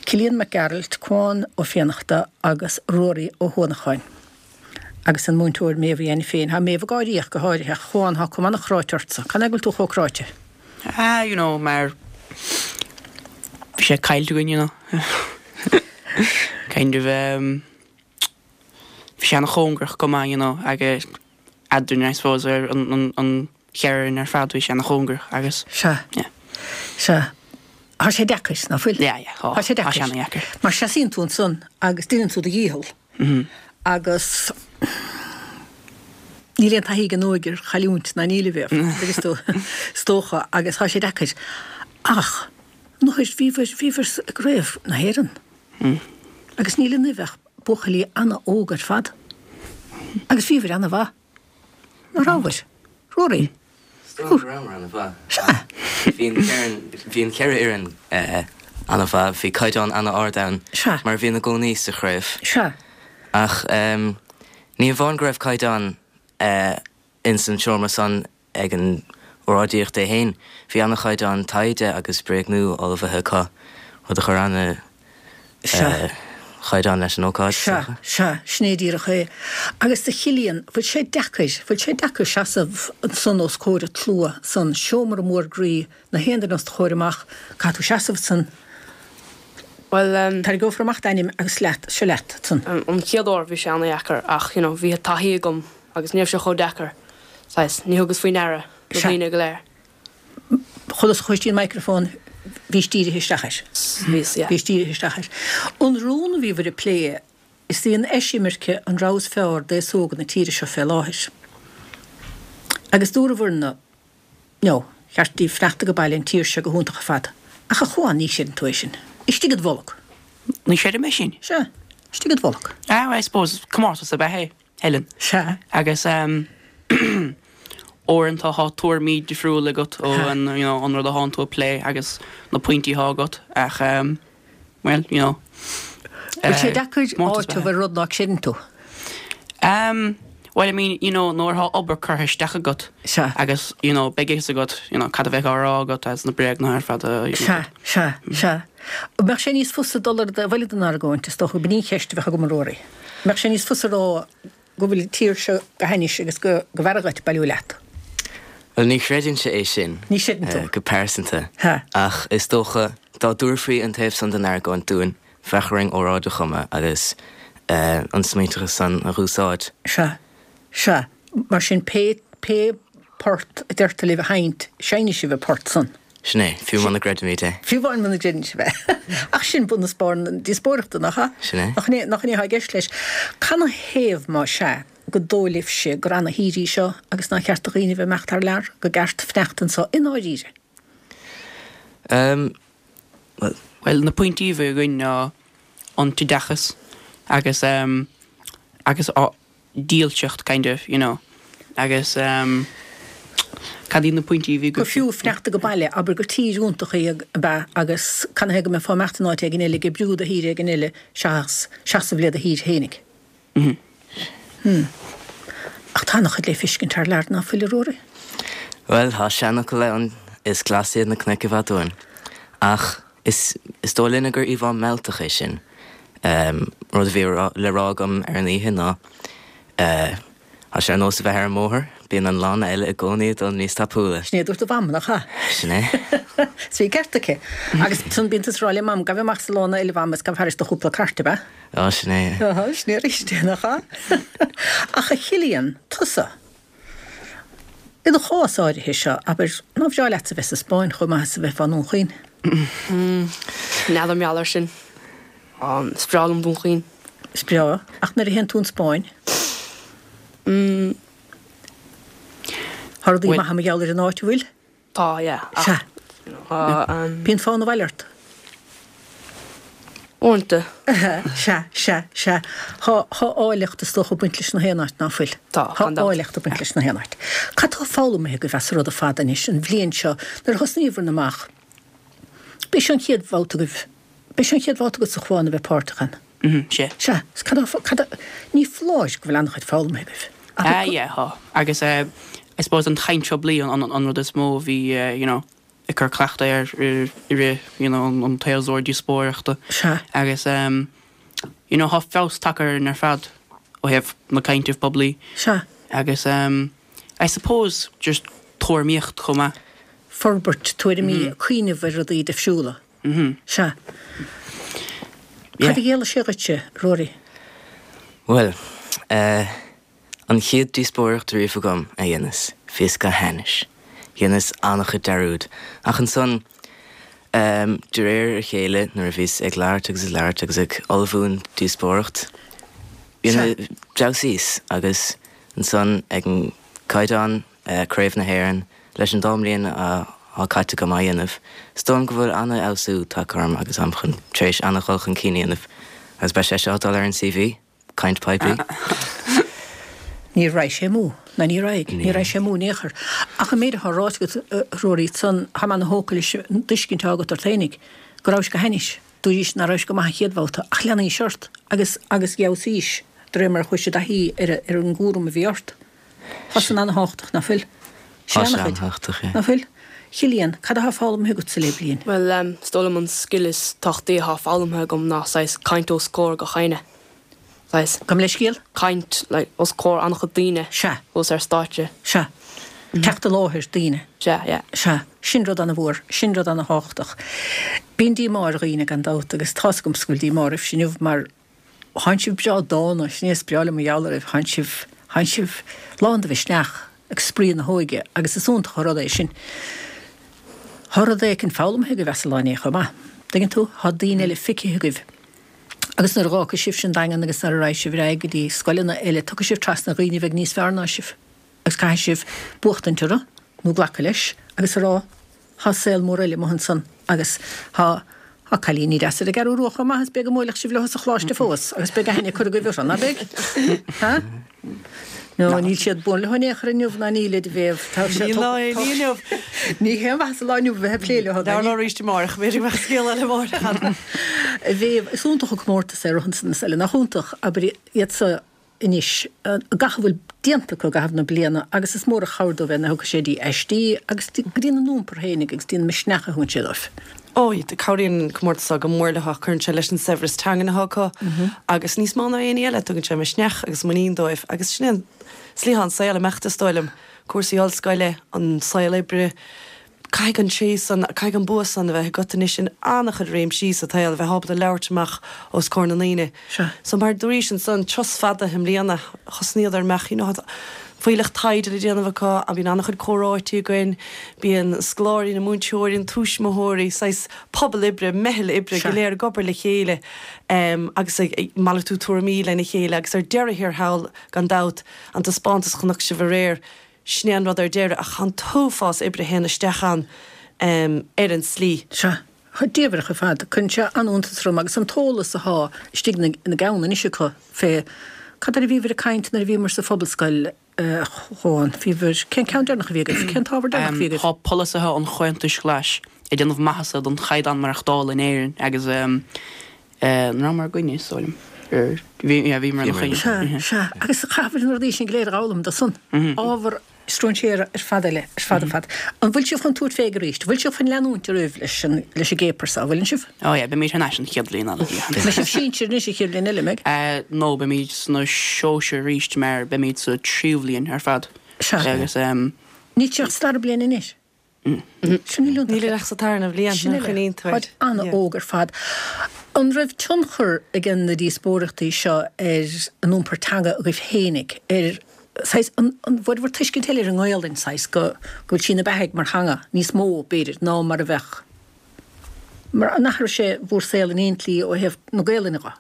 Cillian Mac Gearailt, Cuán Ó Fiannachta agus Ruairí Ó hUanacháin. Agus an múinteoir Méabh Uí Ainiféin. Tá Méabh ag gáirí ach go háirithe. Ach a Chuáin, tá cuma an-chráite ortsa. Cad é go bhfuil tú chomh cráite? Ah, you know, mar bhí sé caillte againn, you know. Kind of, um, bhí sé ana-chóngarach go maith, you know, agus eadrainn, I suppose, ar an, an, an cheithre fhoireann ar fad, bhí sé ana-chóngarach agus, Sea. yeah. Sea. Tá sé deacair, ná fuil? Yeah, yeah, tá. Tá sé Tá sé deacair. ana-dheacair. Mar seasaíonn tú ansan agus déanann tú do dhícheall agus níl aon taithí ag an óige ar chailliúint ná níl a Mhéabh, agus tú, is dócha, agus tá sé deacair. Ach, nuair, bhíobhair, bhíobhair i gCraobh na hÉireann agus níl ionaibh ach buachaillí ana-óg ar fad agus bhíobhair ana-mhaith. Ná rabhabhair? Ruairí? Is dóigh go rabhamar ana-mhaith. Sea. Bhí an bhí an cheithre fhoireann ana-mhaith. Bhí caighdeán ana-ard ann. Sea. Mar a bhíonn i gcónaí sa chraobh. Sea. Ach ní amháin go raibh caighdeán ins an seomra san ag an óráidíocht é féin, bhí ana-chaighdeán taighde agus bréagnú ullmhaithe acu, rud a chuir ana Sea. chaighdeán leis an ócáid, is Sea, dócha. sea, sin é díreach é. Agus a Chillian, bhfuil sé deacair, bhfuil sé deacair seasamh ansan os comhair an tslua san seomra mór groí, na haon duine os do chomhair amach, caithfidh tú seasamh ansan, Bhuel, em. tarraingeofar amach d'ainm agus leat, seo leat ansan. An chéad uair bhí sé ana-dheacair ach, you know, bhí taithí agam agus ní raibh sé chomh deacair, saghas, ní thugas faoi ndeara na Sea. daoine go léir. Chulas a chuaigh tríd an microphone, bhís dírithe isteach air. Bhíos, yeah. Bhís dírithe isteach air. An rún a bhíobhair ag plé, is í an eisimirce an rogha is fearr d'aos óg na tíre seo fé láthair. Agus dúrabhair-na, no, cheart daoibh fanacht age baile, an tír seo go hiontach ar fad. Ach a Chuáin, ní chreideann tú é sin. Istigh id bholg. Ní chreidim é sin. Sea, istigh id bholg. Ah, well, I suppose, comórtas ab ea é. Helen. Sea. Agus uaireanta tá tuairimí difriúla agat ó an, you know, an rud a thánn tú ag plé agus na pointí atá agat ach well, you know. Bhfuil sé deacair áiteamh ar rud ná creideann tú? Well, I mean, you know, nuair atá obair curtha isteach agat Sea. agus, you know, beidh a fhios agat, you know, cad a bheidh á rá agat as na bréagnuithe ar fad a, you know. Sea, sea, sea. An mbeadh sé níos fusa dul ar an dtaobh eile den argóint, is dócha, b'in í an cheist a bheadh agam a Ruairí. An mbeadh sé níos fusa a rá go bhfuil an tír seo go hainnis agus go mb'fhearra dhuit bailiú leat? Bhuel, ní chreidinnse é sin. Ní chreideann tú. Go pearsanta. Ha. Ach is dócha, dá dtabharfaí an taobh san den argóint dúinn, bheadh orainn óráid a chumadh agus an smaointeachas san a dh'úsáid. Sea. Sea. Mar sin, pé, pé port a deirtear libh a sheinnt, seinnfidh sibh an port san. Sin é, fiú muna gcreidimid é. Fiú amháin muna gcreideann sibh é. Ach sin bun is barr na díospóireachta, nach ea? Sin é. Nach in é, nach in é atá i gceist leis? Canathaobh, má sea, go dóigh libhse gur ana-thír í seo agus nár cheart do dhaoine bheith ag imeacht thar lear, go gceart fanacht anso i ndáiríre? Ehm, bhuel. Bhuel, na pointí a bhí againn ná an t-oideachas agus ehm, agus á, dílseacht kind of, you know, agus ehm cad iad na pointí a bhí Gur fiú fanacht age baile, abair gur tír iontach í ab ea agus canathaobh go mbeifeá ag imeacht in áit éigin eile ag oibriú do thír éigin eile seachas seasamh le do thír fhéinig. Hmm. Ach tá ana-chuid le feiscint thar lear ná fuil, a Ruairí? Bhuel, tá seanfhocal ann, is glas iad na cnoic i bhfad uainn. Ach is is dóigh linne gur íomhá mealltach é sin. Rud a bhí le rá agam ar an oíche ná, tá sé ar nós a bheith ar an mbóthar, bíonn an lána eile i gcónaí ag dul níos tapúla. Sin é a dúirt do mham, nach ea? Sin é. Is bhí an ceart aici. Agus ansan bíonn tusa ag rá le mam, gabh amach sa lána eile, a mham, is gabh thairis do chúpla cairt, ab ea? Á, sin é. Á, sin é arís é, nach ea? Ach a Chillian, tusa, I do chás áirithe seo, abair, nár bhreá leatsa bheith sa Spáinn chomh maith is a bheifeá i nDún Chaoin? N'fheadar mar gheall air sin. Is breá liom Dún Chaoin. Is breá. Ach nuair a théann tú 'on Spáinn? Tá rudaí maithe mar gheall ar an áit, an bhfuil? Tá, yeah. Sea. Bíonn fonn abhaile ort. Uaireanta. Sea, sea, sea. Tá, tá áilleacht is dócha ag baint leis na haon áit, ná fuil? Tá, gan dabht. Tá áilleacht ag baint leis na haon áit. Cad tá foghlamtha agaibh as an rud ar fad anois, an bhliain seo, nuair a thosnaíobhair amach? B'é seo an chéad bhabhta agaibh, b'é seo an chéad bhabhta agatsa a Chuáin a bheith páirteach ann. Sea. Sea. Is cad tá, cad a, ní foláir go bhfuil an-chuid foghlamtha agaibh. Ah yeah, tá. Agus eh, I suppose an chaint phoiblí an, an, an rud is mó a bhí eh, you know, ag cur cleachtadh air i rith, you know, an tséasúir díospóireachta. Sea. Agus em, you know, tá feabhas tagtha orainn ar fad. ó thaobh na cainte poiblí. Sea. Agus I suppose just tuairimíocht chomh maith. Forbairt tuairimí, cuimhneamh ar rudaí difriúla. Sea. Cad a chiallaigh sé dhuitse, Ruairí? Bhuel, eh, an chéad díospóireacht riamh agam a dheineas, bhíos go hainnis. Dheineas an-chuid dearúd. Ach ansan, em, de réir a chéile, nuair a bhíos ag labhairt agus ag labhairt agus ag ullmhú an díospóireacht, d'fheabhsaíos agus ansan ag an gcaighdeán, Craobh na hÉireann, leis an dá mbliain atá caite agam á dhéanamh, is dóigh liom go bhfuil an-fheabhsú tagtha orm agus táim chun tar éis an-dhul chun cinn a dhéanamh agus beidh sé seo ag dul ar an CV, caint poiblí. Ní raghadh sé amú, ná ní raghaidh, ní raghaidh sé amú in aon chor. Ach an méid atá ráite agat, a Ruairí, san, tá mé ana-thógtha leis an dtuiscint atá agat ort fhéinig, go rabhais go hainnis, dúraís ná rabhais go maith an chéad bhabhta, ach leanaís ort agus agus d'fheabhsaís de réir mar a chuaigh i dtaithí ar ar an gcúram a bhí ort. Tá san ana-thábhachtach, ná fuil? Tá sé an-thábhachtach, yeah. Ná fuil? Chillian, cad atá foghlamtha agatsa le bliain? Bhuel, is dóigh liom an scil is tábhachtaí atá foghlamtha agam ná saghas caint os comhair gach éinne. Saghas. Gabh mo leithscéal? Caint, like, os comhair an-chuid daoine. Sea. Thuas ar stáitse. Sea. Teacht i láthair daoine. Sea, yeah. Sea. Sin rud ana-mhór. Sin rud ana-thábhachtach. Bíonn díomá ar dhaoine, gan dabht, agus tá's agamsa go bhfuil díomá oraibhse inniu mar Thánn sibh breá dána, sin é is breá liom mar gheall oraibh, thánn sibh, thánn sibh lán de mhisneach agus spraoi na hóige agus is iontach an rud é sin. Thá rud éicint foghlamtha agaibh as an lá inné chomh maith. Dtuigeann tú? Thá daoine eile feicthe agaibh agus nuair a dh'fhágfaidh sibhse an Daingean agus nuair a raghaidh sibh ar aghaidh go dtí scoileanna eile, tiocfaidh sibh trasna dhaoine a bheidh níos fearr ná sibh agus caithfidh sibh buachtaint orthu nó glacadh leis agus a rá Thá saol mór eile amuigh ansan agus thá, thá cailíní deasa ar an gCeathrú Rua chomh maith is beidh go mbuailfeadh sibh leo sa choláiste fós agus beidh aithne curtha agaibh orthu, ná beidh? Ha? No, níl siad buan leo in aon chor inniu ná níl a Mhéabh. Tá sé, Níl lá aon ní inniu. Ní haon mhaitheas an lá inniu a bheith ag plé leo. Labhair leo arís amárach, b'fhéidir go mbeadh scéal eile amárach ann. A Mhéabh, is iontach an comórtas é rud ansan is eile, nach iontach, abair iad so anois gach a bhfuil déanta acu i gcaitheamh na bliana agus is mór an chabhair dóibh é nuair a thiocfaidh sé dtí aistí agus go dtína n-iompar féinig agus dtína misneach a thugann sé dóibh. Ó, cabhraíonn an comórtas seo go mór leo, cuireann sé leis an saibhreas teangan atá acu agus níos mó ná aon ní eile, tugann sé misneach agus muinín dóibh agus sin é an slí atá an saol ag imeacht is dóigh liom, cúrsaí ollscoile, an saol oibre, Caithfidh an tréith san, caithfidh an bua san a bheith agat anois in an-chuid réimsí sa tsaol, a bheith ábalta labhairt amach os comhair na ndaoine. Sea. So mar a dúraís ansan, turas fada i mbliana, thosnaíodar amach, you know, fuílleach taighde le déanamh acu, bíonn an-chuid comhráití againn, bíonn scoláirí, na múinteoirí, na tuismitheoirí, saghas pobal oibre, meitheal oibre go léir ag obair le chéile agus ag malartú tuairimí lena chéile agus ar deireadh thiar thall, gan dabht, an taispeántas a chonaic sibh aréir, Sin é an rud ar deireadh, ach tá an t-uafás oibre a théann isteach ann ar an tslí. Sea, tá diamhrach ar fad. Cuireann sé an-iontas orm agus an t-eolas athá istigh ina gceann anois acu fé cad air a bhíobhair ag caint nuair a bhíomar sa Phobalscoil a Chuáin. Bhíobhair, cén ceann deireanach a bhí agaibh? Cén t-ábhar deireanach a bhí agaibh? Tá polasaithe an Chomhaontais Ghlais ag déanamh maitheasa don chaighdeán maireachtála in Éirinn agus an rabhamar i gcoinne, is dóigh liom. Bhí, yeah, bhíomar ina choinne. Sea, sea. Agus chaithfear na rudaí sin go léir a dh'fhoghlaim dó san. Ábhar stróinséara ar fad eile, ar fad ar fad. An bhfuil sibh chun tabhairt fé arís? Bhfuil sibh chun leanúint oraibh leis an, leis an gcéapar seo, an bhfuileann sibh? Oh yeah, beimid thar n-ais an chéad bhliain eile, yeah. Beidh sibh sinsir anois an chéad bhliain eile, an mbeidh? Eh, no, beimid sna sóisir arís mar beimid sa tríú bhliain ar fad. Sea. Agus, em. Níl sibh ach sa dara bliain anois? Sin níl ach sa tarna bhliain, Sin nuair a eile. choinníonn tú air. Táid an-óg ar fad. An raibh tionchar ag na díospóireachtaí seo ar an iompar teanga agaibh fhéinig, ar saghas, an bhfuair bhur tuiscint eile ar an nGaolainn, saghas, go go bhfuil sí ina beathaidh mar theanga níos mó, b'fhéidir, ná mar a bheadh, mar an athraigh sé bhur saol in aon tslí ó thaobh na Gaolainne dho?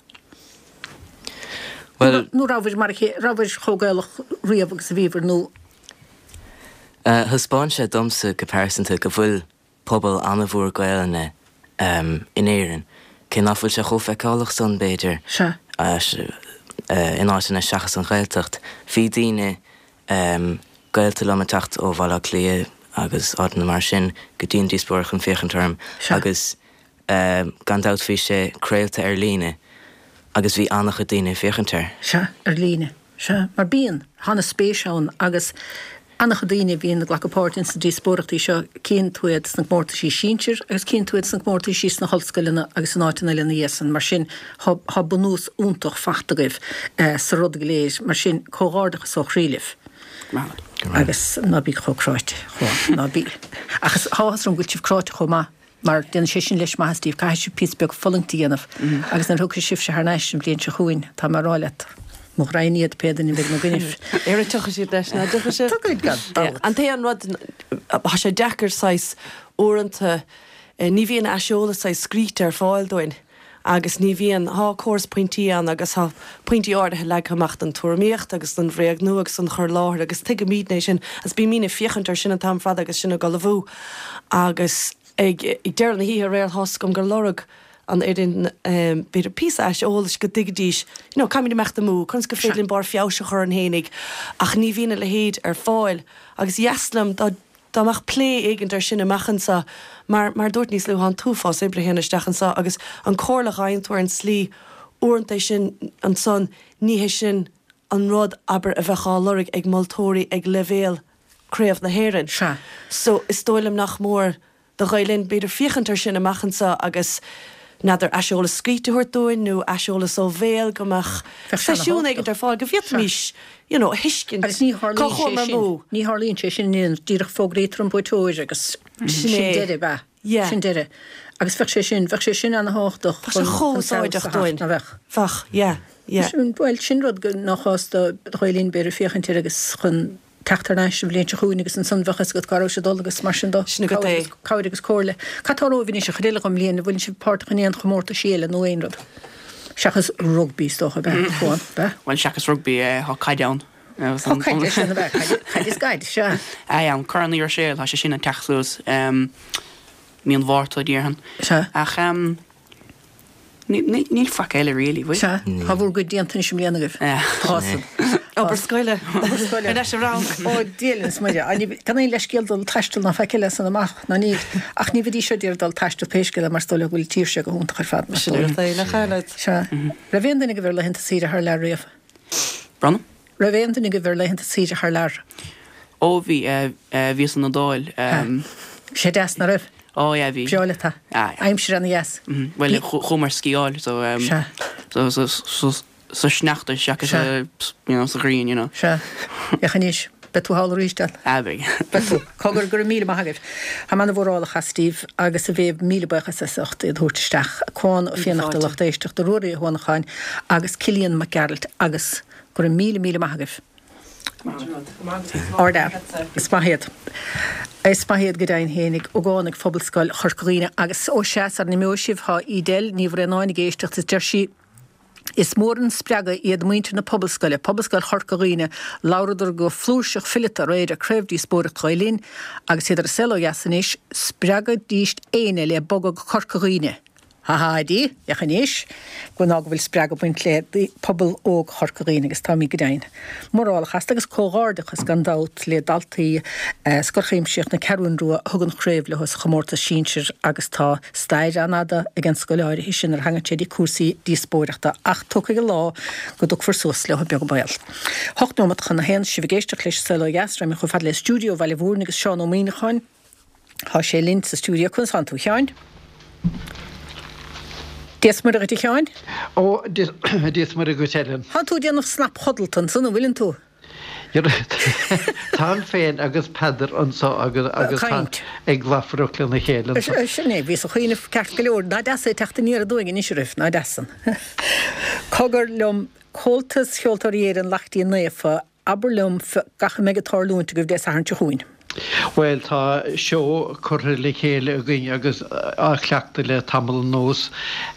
Bhuel. Nó rabhabhair mar a chéile, rabhabhair chomh Gaelach riamh agus a bhíobhair nó. Thaispeáin sé domsa go pearsanta go bhfuil pobal an-mhór Gaelainne in Éirinn, cé nach bhfuil sé chomh feiceálach san, b'fhéidir, in áiteanna seachas an Ghaeltacht. Bhí daoine, gaolta liom ag teacht ó Bhaile Átha Cliath agus áiteanna mar sin go dtí an díospóireacht chun féachaint orm agus gan dabht bhí sé craolta ar líne agus bhí an-chuid daoine ag féachaint air. Sea, ar líne. Sea, mar bíonn, tá ana spéis ann agus. An-chuid daoine a bhíonn ag glacadh páirt ins na díospóireachtaí seo, cíonn tú iad sna comórtaisí sinsir agus cíonn tú iad sna comórtaisí sna hollscoileanna agus in áiteanna eile ina dhiaidh san. Mar sin, thá bunús iontach fachta agaibh sa rud go léir. Mar sin, comhghairdeachas ó chroí libh. Agus ná bí chomh cráite, a Chuáin, ná bí. Ach is tá áthas orm go bhfuil sibh cráite chomh maith. Mar déanann sé sin leis maitheas daoibh, caithfidh sibh píosa beag fulaingt a dhéanamh agus nuair a thiocfaidh sibhse thar n-ais an bhliain seo chugainn, tá mé a rá leat, mo ghraidhin iad pé duine a bheidh ina gcoinnibh. Ara tiocfaidh siad leis, ná tiocfaidh siad? Tiocfaidh, gan dabht. An t-aon rud, tá sé deacair saghas uaireanta, ní bhíonn aiseolas saghas scríte ar fáil dúinn agus ní bhíonn, tá córas pointí ann agus tá pointí áirithe leagtha amach don tuairimíocht agus don bhréagnú agus don chur i láthair agus tuigimidne é sin agus bímidne ag féachaint air sin an t-am ar fad agus sinn ag ullmhú agus ag deireadh na hoíche aréir tá's agam gur lorg an fhoireann b'fhéidir píosa aiseolais go dtuigfidís you know caithfimid imeacht amú, conas gur féidir linn barr feabhais a chur orainn fhéinig ach ní bhíonn a leithéid ar fáil agus ba dheas liom dá Dá mbeadh plé éigint air sin amach anseo, mar, mar a dúirt níos luaithe, tá an t-uafás oibre a théann isteach anseo agus an comhairle a fhaigheann tú ar an tslí uaireanta é sin ansan, ní hé sin an rud, abair, a bheadh á lorg ag moltóirí ag leibhéal Craobh na hÉireann. Sea. So, is dóigh liom nach mór do Ghael Linn, b'fhéidir, féachaint air sin amach anseo agus, n'fheadar, aiseolas scríte a thabhairt dúinn nó aiseolas ó bhéal, go mbeadh seisiún éigint ar fáil go bhféadfaimis, you know, a thuiscint Agus ní cá tharlaíonn sé chuamar sin, amú. ní tharlaíonn sé sin in aon, díreach fógraítear an buaiteoir agus Sin sin é. deireadh, ab ea? Yeah. Sin deireadh. Agus bheadh sé sin, bheadh sé sin ana-thábhachtach Bheadh sé chun, chomh chun feabhas a úsáideach theacht, dúinn. nach bheadh? Bheadh, yeah, yeah. Sin, bhuel, sin rud go, nach cás do Ghael Linn, b'fhéidir, féachaint air agus chun, teacht thar n-ais an bhliain seo chugainn agus ansan bheadh fhios agat cá raibh sé ag dul agus mar sin de. Sin agat é. Cabhair agus comhairle. Cad tá romhaibh anois an chuid eile den mbliain? An bhfuileann sibh páirteach in aon chomórtaisí eile nó aon rud? Seachas rugbaí is dócha, ab ea, Cuán, ab ea? Bhuel, seachas rugbaí, tá caid ann. Tá caid, é sin, ab ea? Caid is caid, sea. Aye, ann. Corn Uí Ruiséil, tá sé sin ag teacht suas mí an Mhárta, déarfainn. Sea. Ach Níl faic eile really, bhfuil? Sea, tá bhur gcuid déanta anois i mbliana agaibh. Tá san. Obair scoile. Obair scoile. Ar ais sa rang. Ó, Dia linn is Muire. Gan aon leithscéal dul taisteal ná faic eile as san amach, ná níl. Ach ní bheidís seo d'iarraidh dul taisteal pé scéal é mar is dóigh leo go bhfuil an tír seo go hiontach ar fad. Sin rud é, nach ea? Sea. Raibh aon duine agaibh ar laethanta saoire thar lear riamh? Bronagh? Raibh aon duine agaibh ar laethanta saoire thar lear? Ó bhí, bhíos san Iodáil. Bhí sé deas, nach raibh? Ó yeah, bhí. Breá leat é. Ah yeah. Aimsir ana dheas. Bhuel, chuamar sciáil so, Sea. so, so, so, sa sneachta seachas Sea. you know, sa ghrian, you know. Sea. Féach anois, beidh tú thall arís, Al. Ah beidh. Beidh tú. Cogar, go raibh míle maith agaibh. Tá mé ana-mhórálach as daoibh agus a Mhéabh, míle buíochas as ucht iad a thabhairt isteach. Cuán Ó Fiannachta, lucht éisteachta, Ruairí Ó hUanacháin agus Cillian Mac Gearailt agus Go raibh míle míle maith agaibh. Ardfhear. Is maith iad. Is maith iad go deimhin fhéinig. Ógánaigh Phobalscoil Chorca Dhuibhne. Agus ó sea, sara n-imeoidh sibh, tá Edel Ní Bhraonáin ag éisteacht is deir sí, Is mór an spreagadh iad muintir na Pobalscoile, Pobalscoil Chorca Dhuibhne, labhradar go flúirseach fileata aréir ar Craobhdhíospóireacht Ghael Linn agus iad ar a saol ó dheas anois, spreagaidís éinne le bogadh go Corca Dhuibhne. Ha ha, Eddie, féach anois, go ná go bhfuil spreagadh ag baint le pobal óg Chorca Dhuibhne agus táimid go deimhin. Mórálach astu agus comhghairdeachas gan dabht le daltaí Scoil Chuimsitheach na Ceathrún Rua a thug an chraobh leo sa chomórtas sinsir agus tá stair an-fhada ag an scoil áirithe sin nuair a thagann sé dtí cúrsaí díospóireachta ach tiocfaidh an lá go dtiocfar suas leo beag an baol. 8 nóimeat chun a haon, sibh ag éisteacht leis an Saol Ó Dheas, raghaimid chomh fada le stiúideo Bhaile Mhúirne agus Seán Ó Muíneacháin. Tá sé linn sa stiúideo. Conas tánn tú, a Sheáin? Dia 's Muire dhuit, a Sheáin. Ó, Dia 's Muire dhuit, Ellen. Tánn tú ag déanamh snapchodlata ansan, an bhfuileann tú? Táim féin agus Peadar anso agus agus Caint. ag lafaireacht lena chéile anso. Sin é, bhíos ag cuimhneamh ceart go leor. Nach deas é teacht aniar aduaidh anois oraibh, nach deas san. Cogar liom, Comhaltas Cheoltóirí Éireann Laichtín Naofa, Abair liom gach a mbeidh ag tarlúint agaibh Dé Sathairn seo chugainn. Bhuel, tá seó curtha le chéile againn agus á chleachtadh le tamall anuas,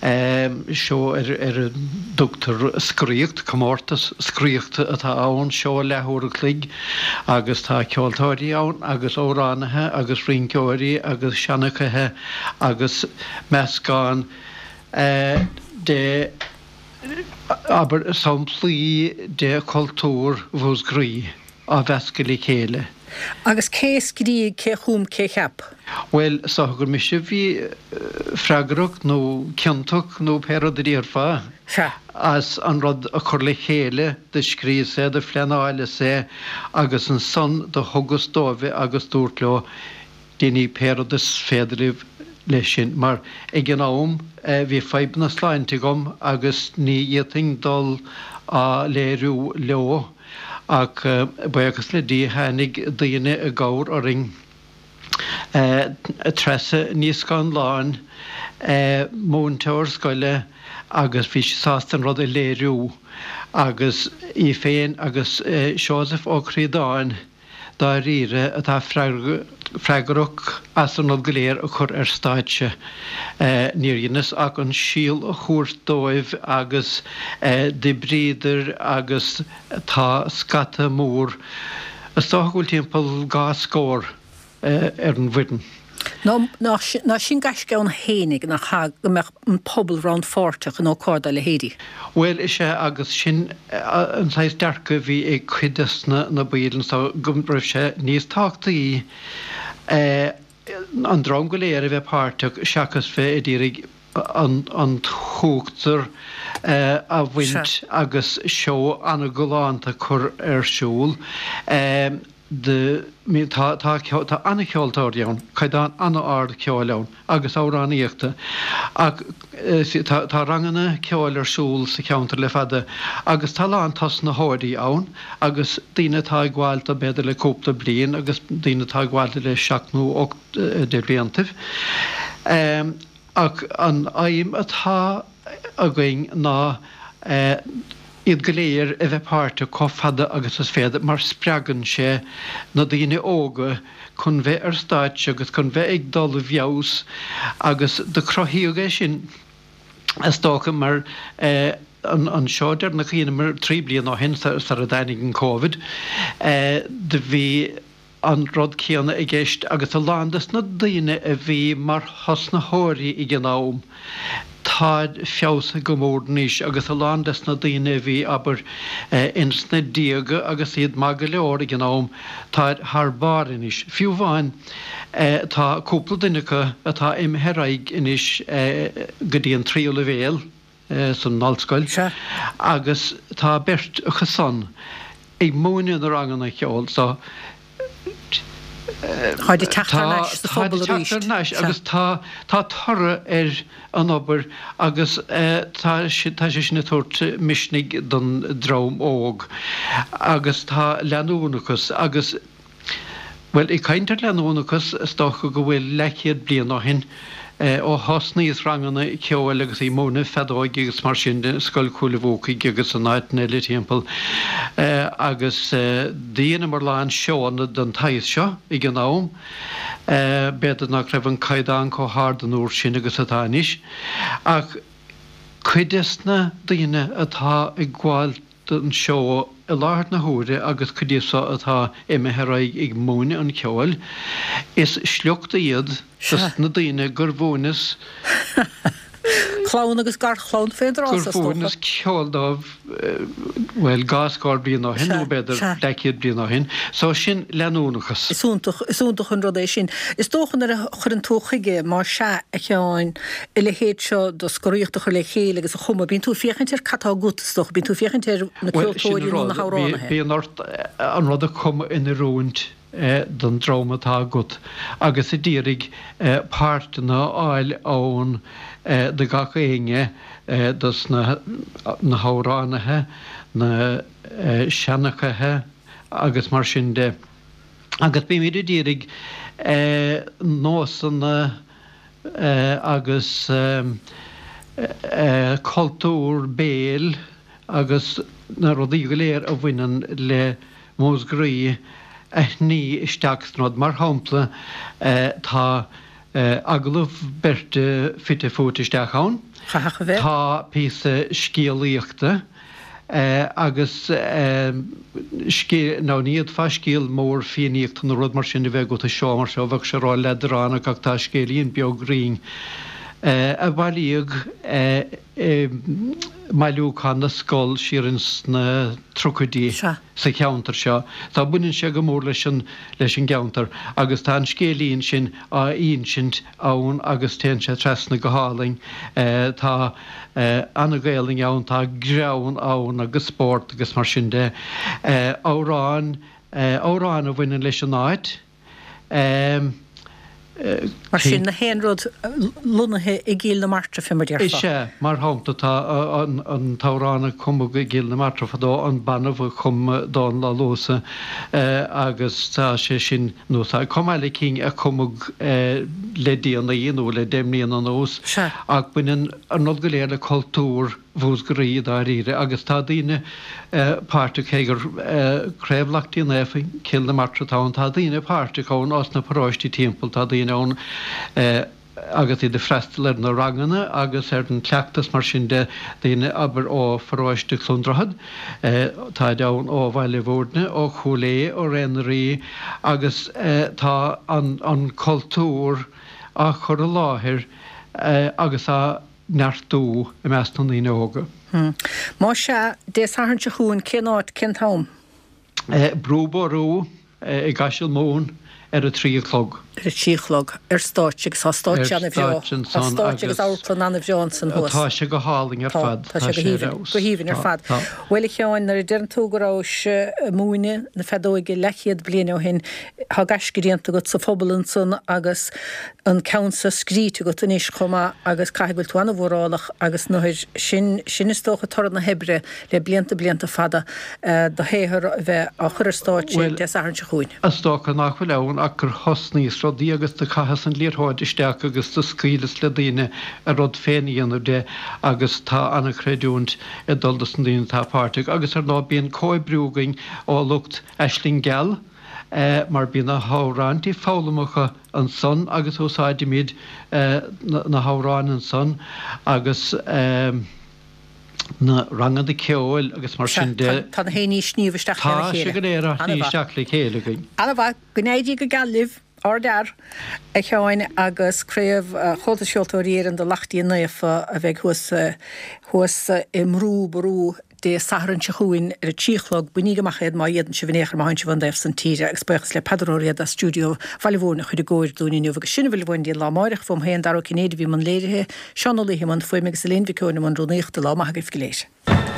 seó ar a dtugtar Scraíocht, comórtas scraíochta atá ann, seó leathuair a chloig agus tá ceoltóirí ann agus amhránaithe agus rinceoirí agus seanchaithe agus meascán de abair, samplaí de chultúr Mhúscraí á mheascadh le chéile. Agus cé a scrígh, cé a chum, cé a cheap? Bhuel, is dócha gur mise a bhí freagrach nó ciontach nó pé rud a déarfá as an rud a chur le chéile, do scríos é, do phleanáileas é agus ansan do thugas dóibh é agus dúrt leo, Déanaigí pé rud is féidir libh leis sin, mar ag an am bhí fadhbanna sláinte agam agus ní fhéadfainn dul á léiriú leo, ach buíochas le Dia tháinig daoine i gcabhair orainn, Treasa Ní Scanláin, múinteoir scoile agus bhí sí sásta an rud a léiriú agus í féin agus Seosamh Ó Críodáin, dáiríre atá freagrach as an rud go léir a chur ar stáitse. Níor dheineas ach an síol a thabhairt dóibh agus d'oibríodar agus tá scata mór, is dócha go bhfuil timpeall 2 scór, ar an bhfoireann. Ná sin gaisce ann fhéinig, nach ea, go mbeadh an pobal rannpháirteach in ócáid dá leithéidí? Bhuel, is ea, agus sin an saghas dearcadh a bhí ag cuid des na baill anso, go raibh sé níos tábhachtaí an dream go léir a bheith páirteach seachas bheith a d'iarraidh an t-uachtar a bhaint agus seó an-ghalánta a chur ar siúl. Tá tá an-cheoltóirí ann, caighdeán an-ard ceoil ann agus amhránaíochta ach tá tá ranganna ceoil ar siúl sa cheantar le fada agus tá a lán tosnaitheoirí ann agus daoine atá ag gabháil dó b'fhéidir le cúpla bliain agus daoine atá ag gabháil dó le seacht nó 8 de bhliantaibh. Ach an aidhm atá againn ná iad go léir a bheith páirteach chomh fada agus is féidir mar spreagann sé na daoine óga chun bheith ar stáitse agus chun bheith ag dul i bhfeabhas agus do cruthaíodh é sin is dócha mar an seó deireanach a dheineamar 3 bliana ó shin sara dtáinig an Covid do bhí an rud céanna i gceist agus a lán des na daoine a bhí mar thosnaitheoirí ag an am, táid feabhsaithe go mór anois agus a lán des na daoine a bhí, abair, ins na déaga agus iad maith go leor ag an am, táid thar barr anois. Fiú amháin tá cúpla duine acu atá imithe ar aghaidh anois go dtí an tríú leibhéal, san ollscoil agus tá beirt acu san ag múineadh na ranganna ceoil so Táid ag teacht thar n-ais sa phobal arís. Táid ag teacht thar n-ais agus tá tá toradh ar an obair agus tá tá sé sin ag tabhairt misnigh don dream óg agus tá leanúnachas agus Bhuel, ag caint ar leanúnachas, is dócha go bhfuil leathchéad bliain ó shin, ó thosnaíos ranganna ceoil agus ag múineadh feadóige agus mar sin de i Scoil Chúil a' Bhuacaigh agus in áiteanna eile timpeall, agus dheineamar a lán seóanna den tsaghas seo ag an am. B'fhéidir nach raibh an caighdeán chomh hard an uair sin agus atá anois, ach cuid des na daoine atá ag gabháil don seó i láthair na huaire agus cuid díobh so atá imithe ar aghaidh ag múineadh an cheoil, is sliocht iad dos na daoine gur mhúineas Clann agus garchlann fén dtráth so, is dócha. gur mhúineas ceol dóibh, bhuel, dhá scór bliain ó shin nó b'fhéidir leathchéad bliain ó shin. So sin leanúnachas. Is iontach, is iontach an rud é sin. Is dócha nuair a chuireann tú chuige, más ea, a Sheáin, a leithéid seo de scoraíocht a chur le chéile agus a chumadh, bíonn tú ag féachaint ar cad tá agat, is dócha, bíonn tú ag féachaint ar na Bhuel, sin ceoltóirí an nó na rud, hamhránaithe. bíonn ort an rud a chumadh in oiriúint don dream atá agat agus a d'iarraidh páirteanna a fháil ann do gach éinne, dos na hamhránaithe, na seanchaithe agus mar sin de. Agus bímid a d'iarraidh nósanna agus cultúr béil agus na rudaí go léir a bhaineann le Múscraí a shní isteach san rud. Mar shampla, tá agallamh beirte fite fuaite isteach ann, tá píosa scéalaíochta, agus scéal, nó ní fhéadfá scéal mór Fiannaíochta nó rud mar sin a bheith agat i seó mar seo, bheadh sé ró-leadránach ach tá scéilín beag righin a bailíodh i. mBailiúchán na Scol siar ins na tríochaidí sa cheantar seo. Tá, baineann sé go mór leis an, leis an gceantar agus tá an scéilín sin á insint ann agus téann sé trasna go hálainn. Tá ana-Ghaelainn ann, tá greann ann agus spórt agus mar sin de. Amhráin, amhráin a bhaineann leis an áit. Mar sin, na haon rud lonnaithe i gCill na Martra, fé mar déarfá. Is ea. Mar shampla, tá an t-amhrán a cumadh i gCill na Martra fadó, An Banbh a chum Dónal Ó Luasa agus tá sé sin, nó tá chomh maith le cinn a cumadh le déanaí nó le deich mbliana anuas. Ach baineann an rud go léir le cultúr. Mhúscraí dáiríre agus tá daoine páirteach, cé gur Craobh Lachtaí Naofa Cill na Martra atá ann, tá daoine páirteach ann ós na paróistí timpeall, tá daoine ann agus iad ag freastal ar na ranganna agus ar an chleachtas mar sin de, daoine abair ó pharóiste Chluain Droichead, táid ann ó Bhaile Bhúirne, ó Chúil Aodha, ó Ré na Rí agus tá an cultúr á chur i láthair agus á neartú i measc na ndaoine óga. Más ea, Dé Sathairn seo chugainn, cén áit, cén t-am? Brú Ború i gCaiseal Mumhan ar a 3 a chlog. Ar a 3 a chlog, ar stáitse agus tá stáitse ana-bhreá. Tá stáitse agus amharclann ana-bhreá ansan thuas. Tá sé go hálainn ar fad. Tá sé go haoibhinn, go haoibhinn ar fad. Bhuel a Sheáin, nuair a deireann tú go rabhais ag múineadh na feadóige leathchéad bliain ó shin, tá gaisce déanta agat sa phobal ansan agus an ceann seo scríte agat anois chomh maith agus caithfidh go bhfuil tú an-mhórálach agus nuair sin, sin is dócha toradh na hoibre le blianta, blianta fada, do shaothar a bheith á chur ar stáitse Dé Sathairn seo chugainn. Is dócha nach bhfuil ann ach gur thosnaíos rudaí agus do chaitheas an liathróid isteach agus do scaoileas le daoine a rud féin a dhéanamh de agus tá an-chreidiúint ag dul dos na daoine atá páirteach agus ar ndóigh bíonn comhoibriú againn ó lucht Aisling Gheal mar bíonn na hamhráintí foghlamtha acu ansan agus úsáidimid na hamhráin ansan agus na ranganna ceoil agus mar sin de. Tá na haon ní ag sníomh isteach lena chéile. Tá sé go léir á shní isteach le chéile againn. Ana-mhaith. Go n-éirí go geal libh. Ardfhear, a Sheáin, agus Craobh Chomhaltas Cheoltóirí Éireann do Lachtaí Naofa a bheidh thuas thuas i mBrú Ború Dé Sathairn seo chugainn ar a 3 a chlog. Bainíg amach iad má fhéadann sibh in aon chor má thánn sibh ón dtaobh san tíre agus buíochas le Peadar Ó Riada as stiúideo Bhaile Mhúirne a chuir i gcóir dúinn inniu agus sin a bhfuil uainn go dtí an lá amáireach. Uaim féin, Dara Ó Cinnéide a bhí i mbun léirithe, Seán Ó Laoithe i mbun fuaime agus Elaine Mhic Eoin i mbun rúnaíochta. Lá maith agaibh go léir.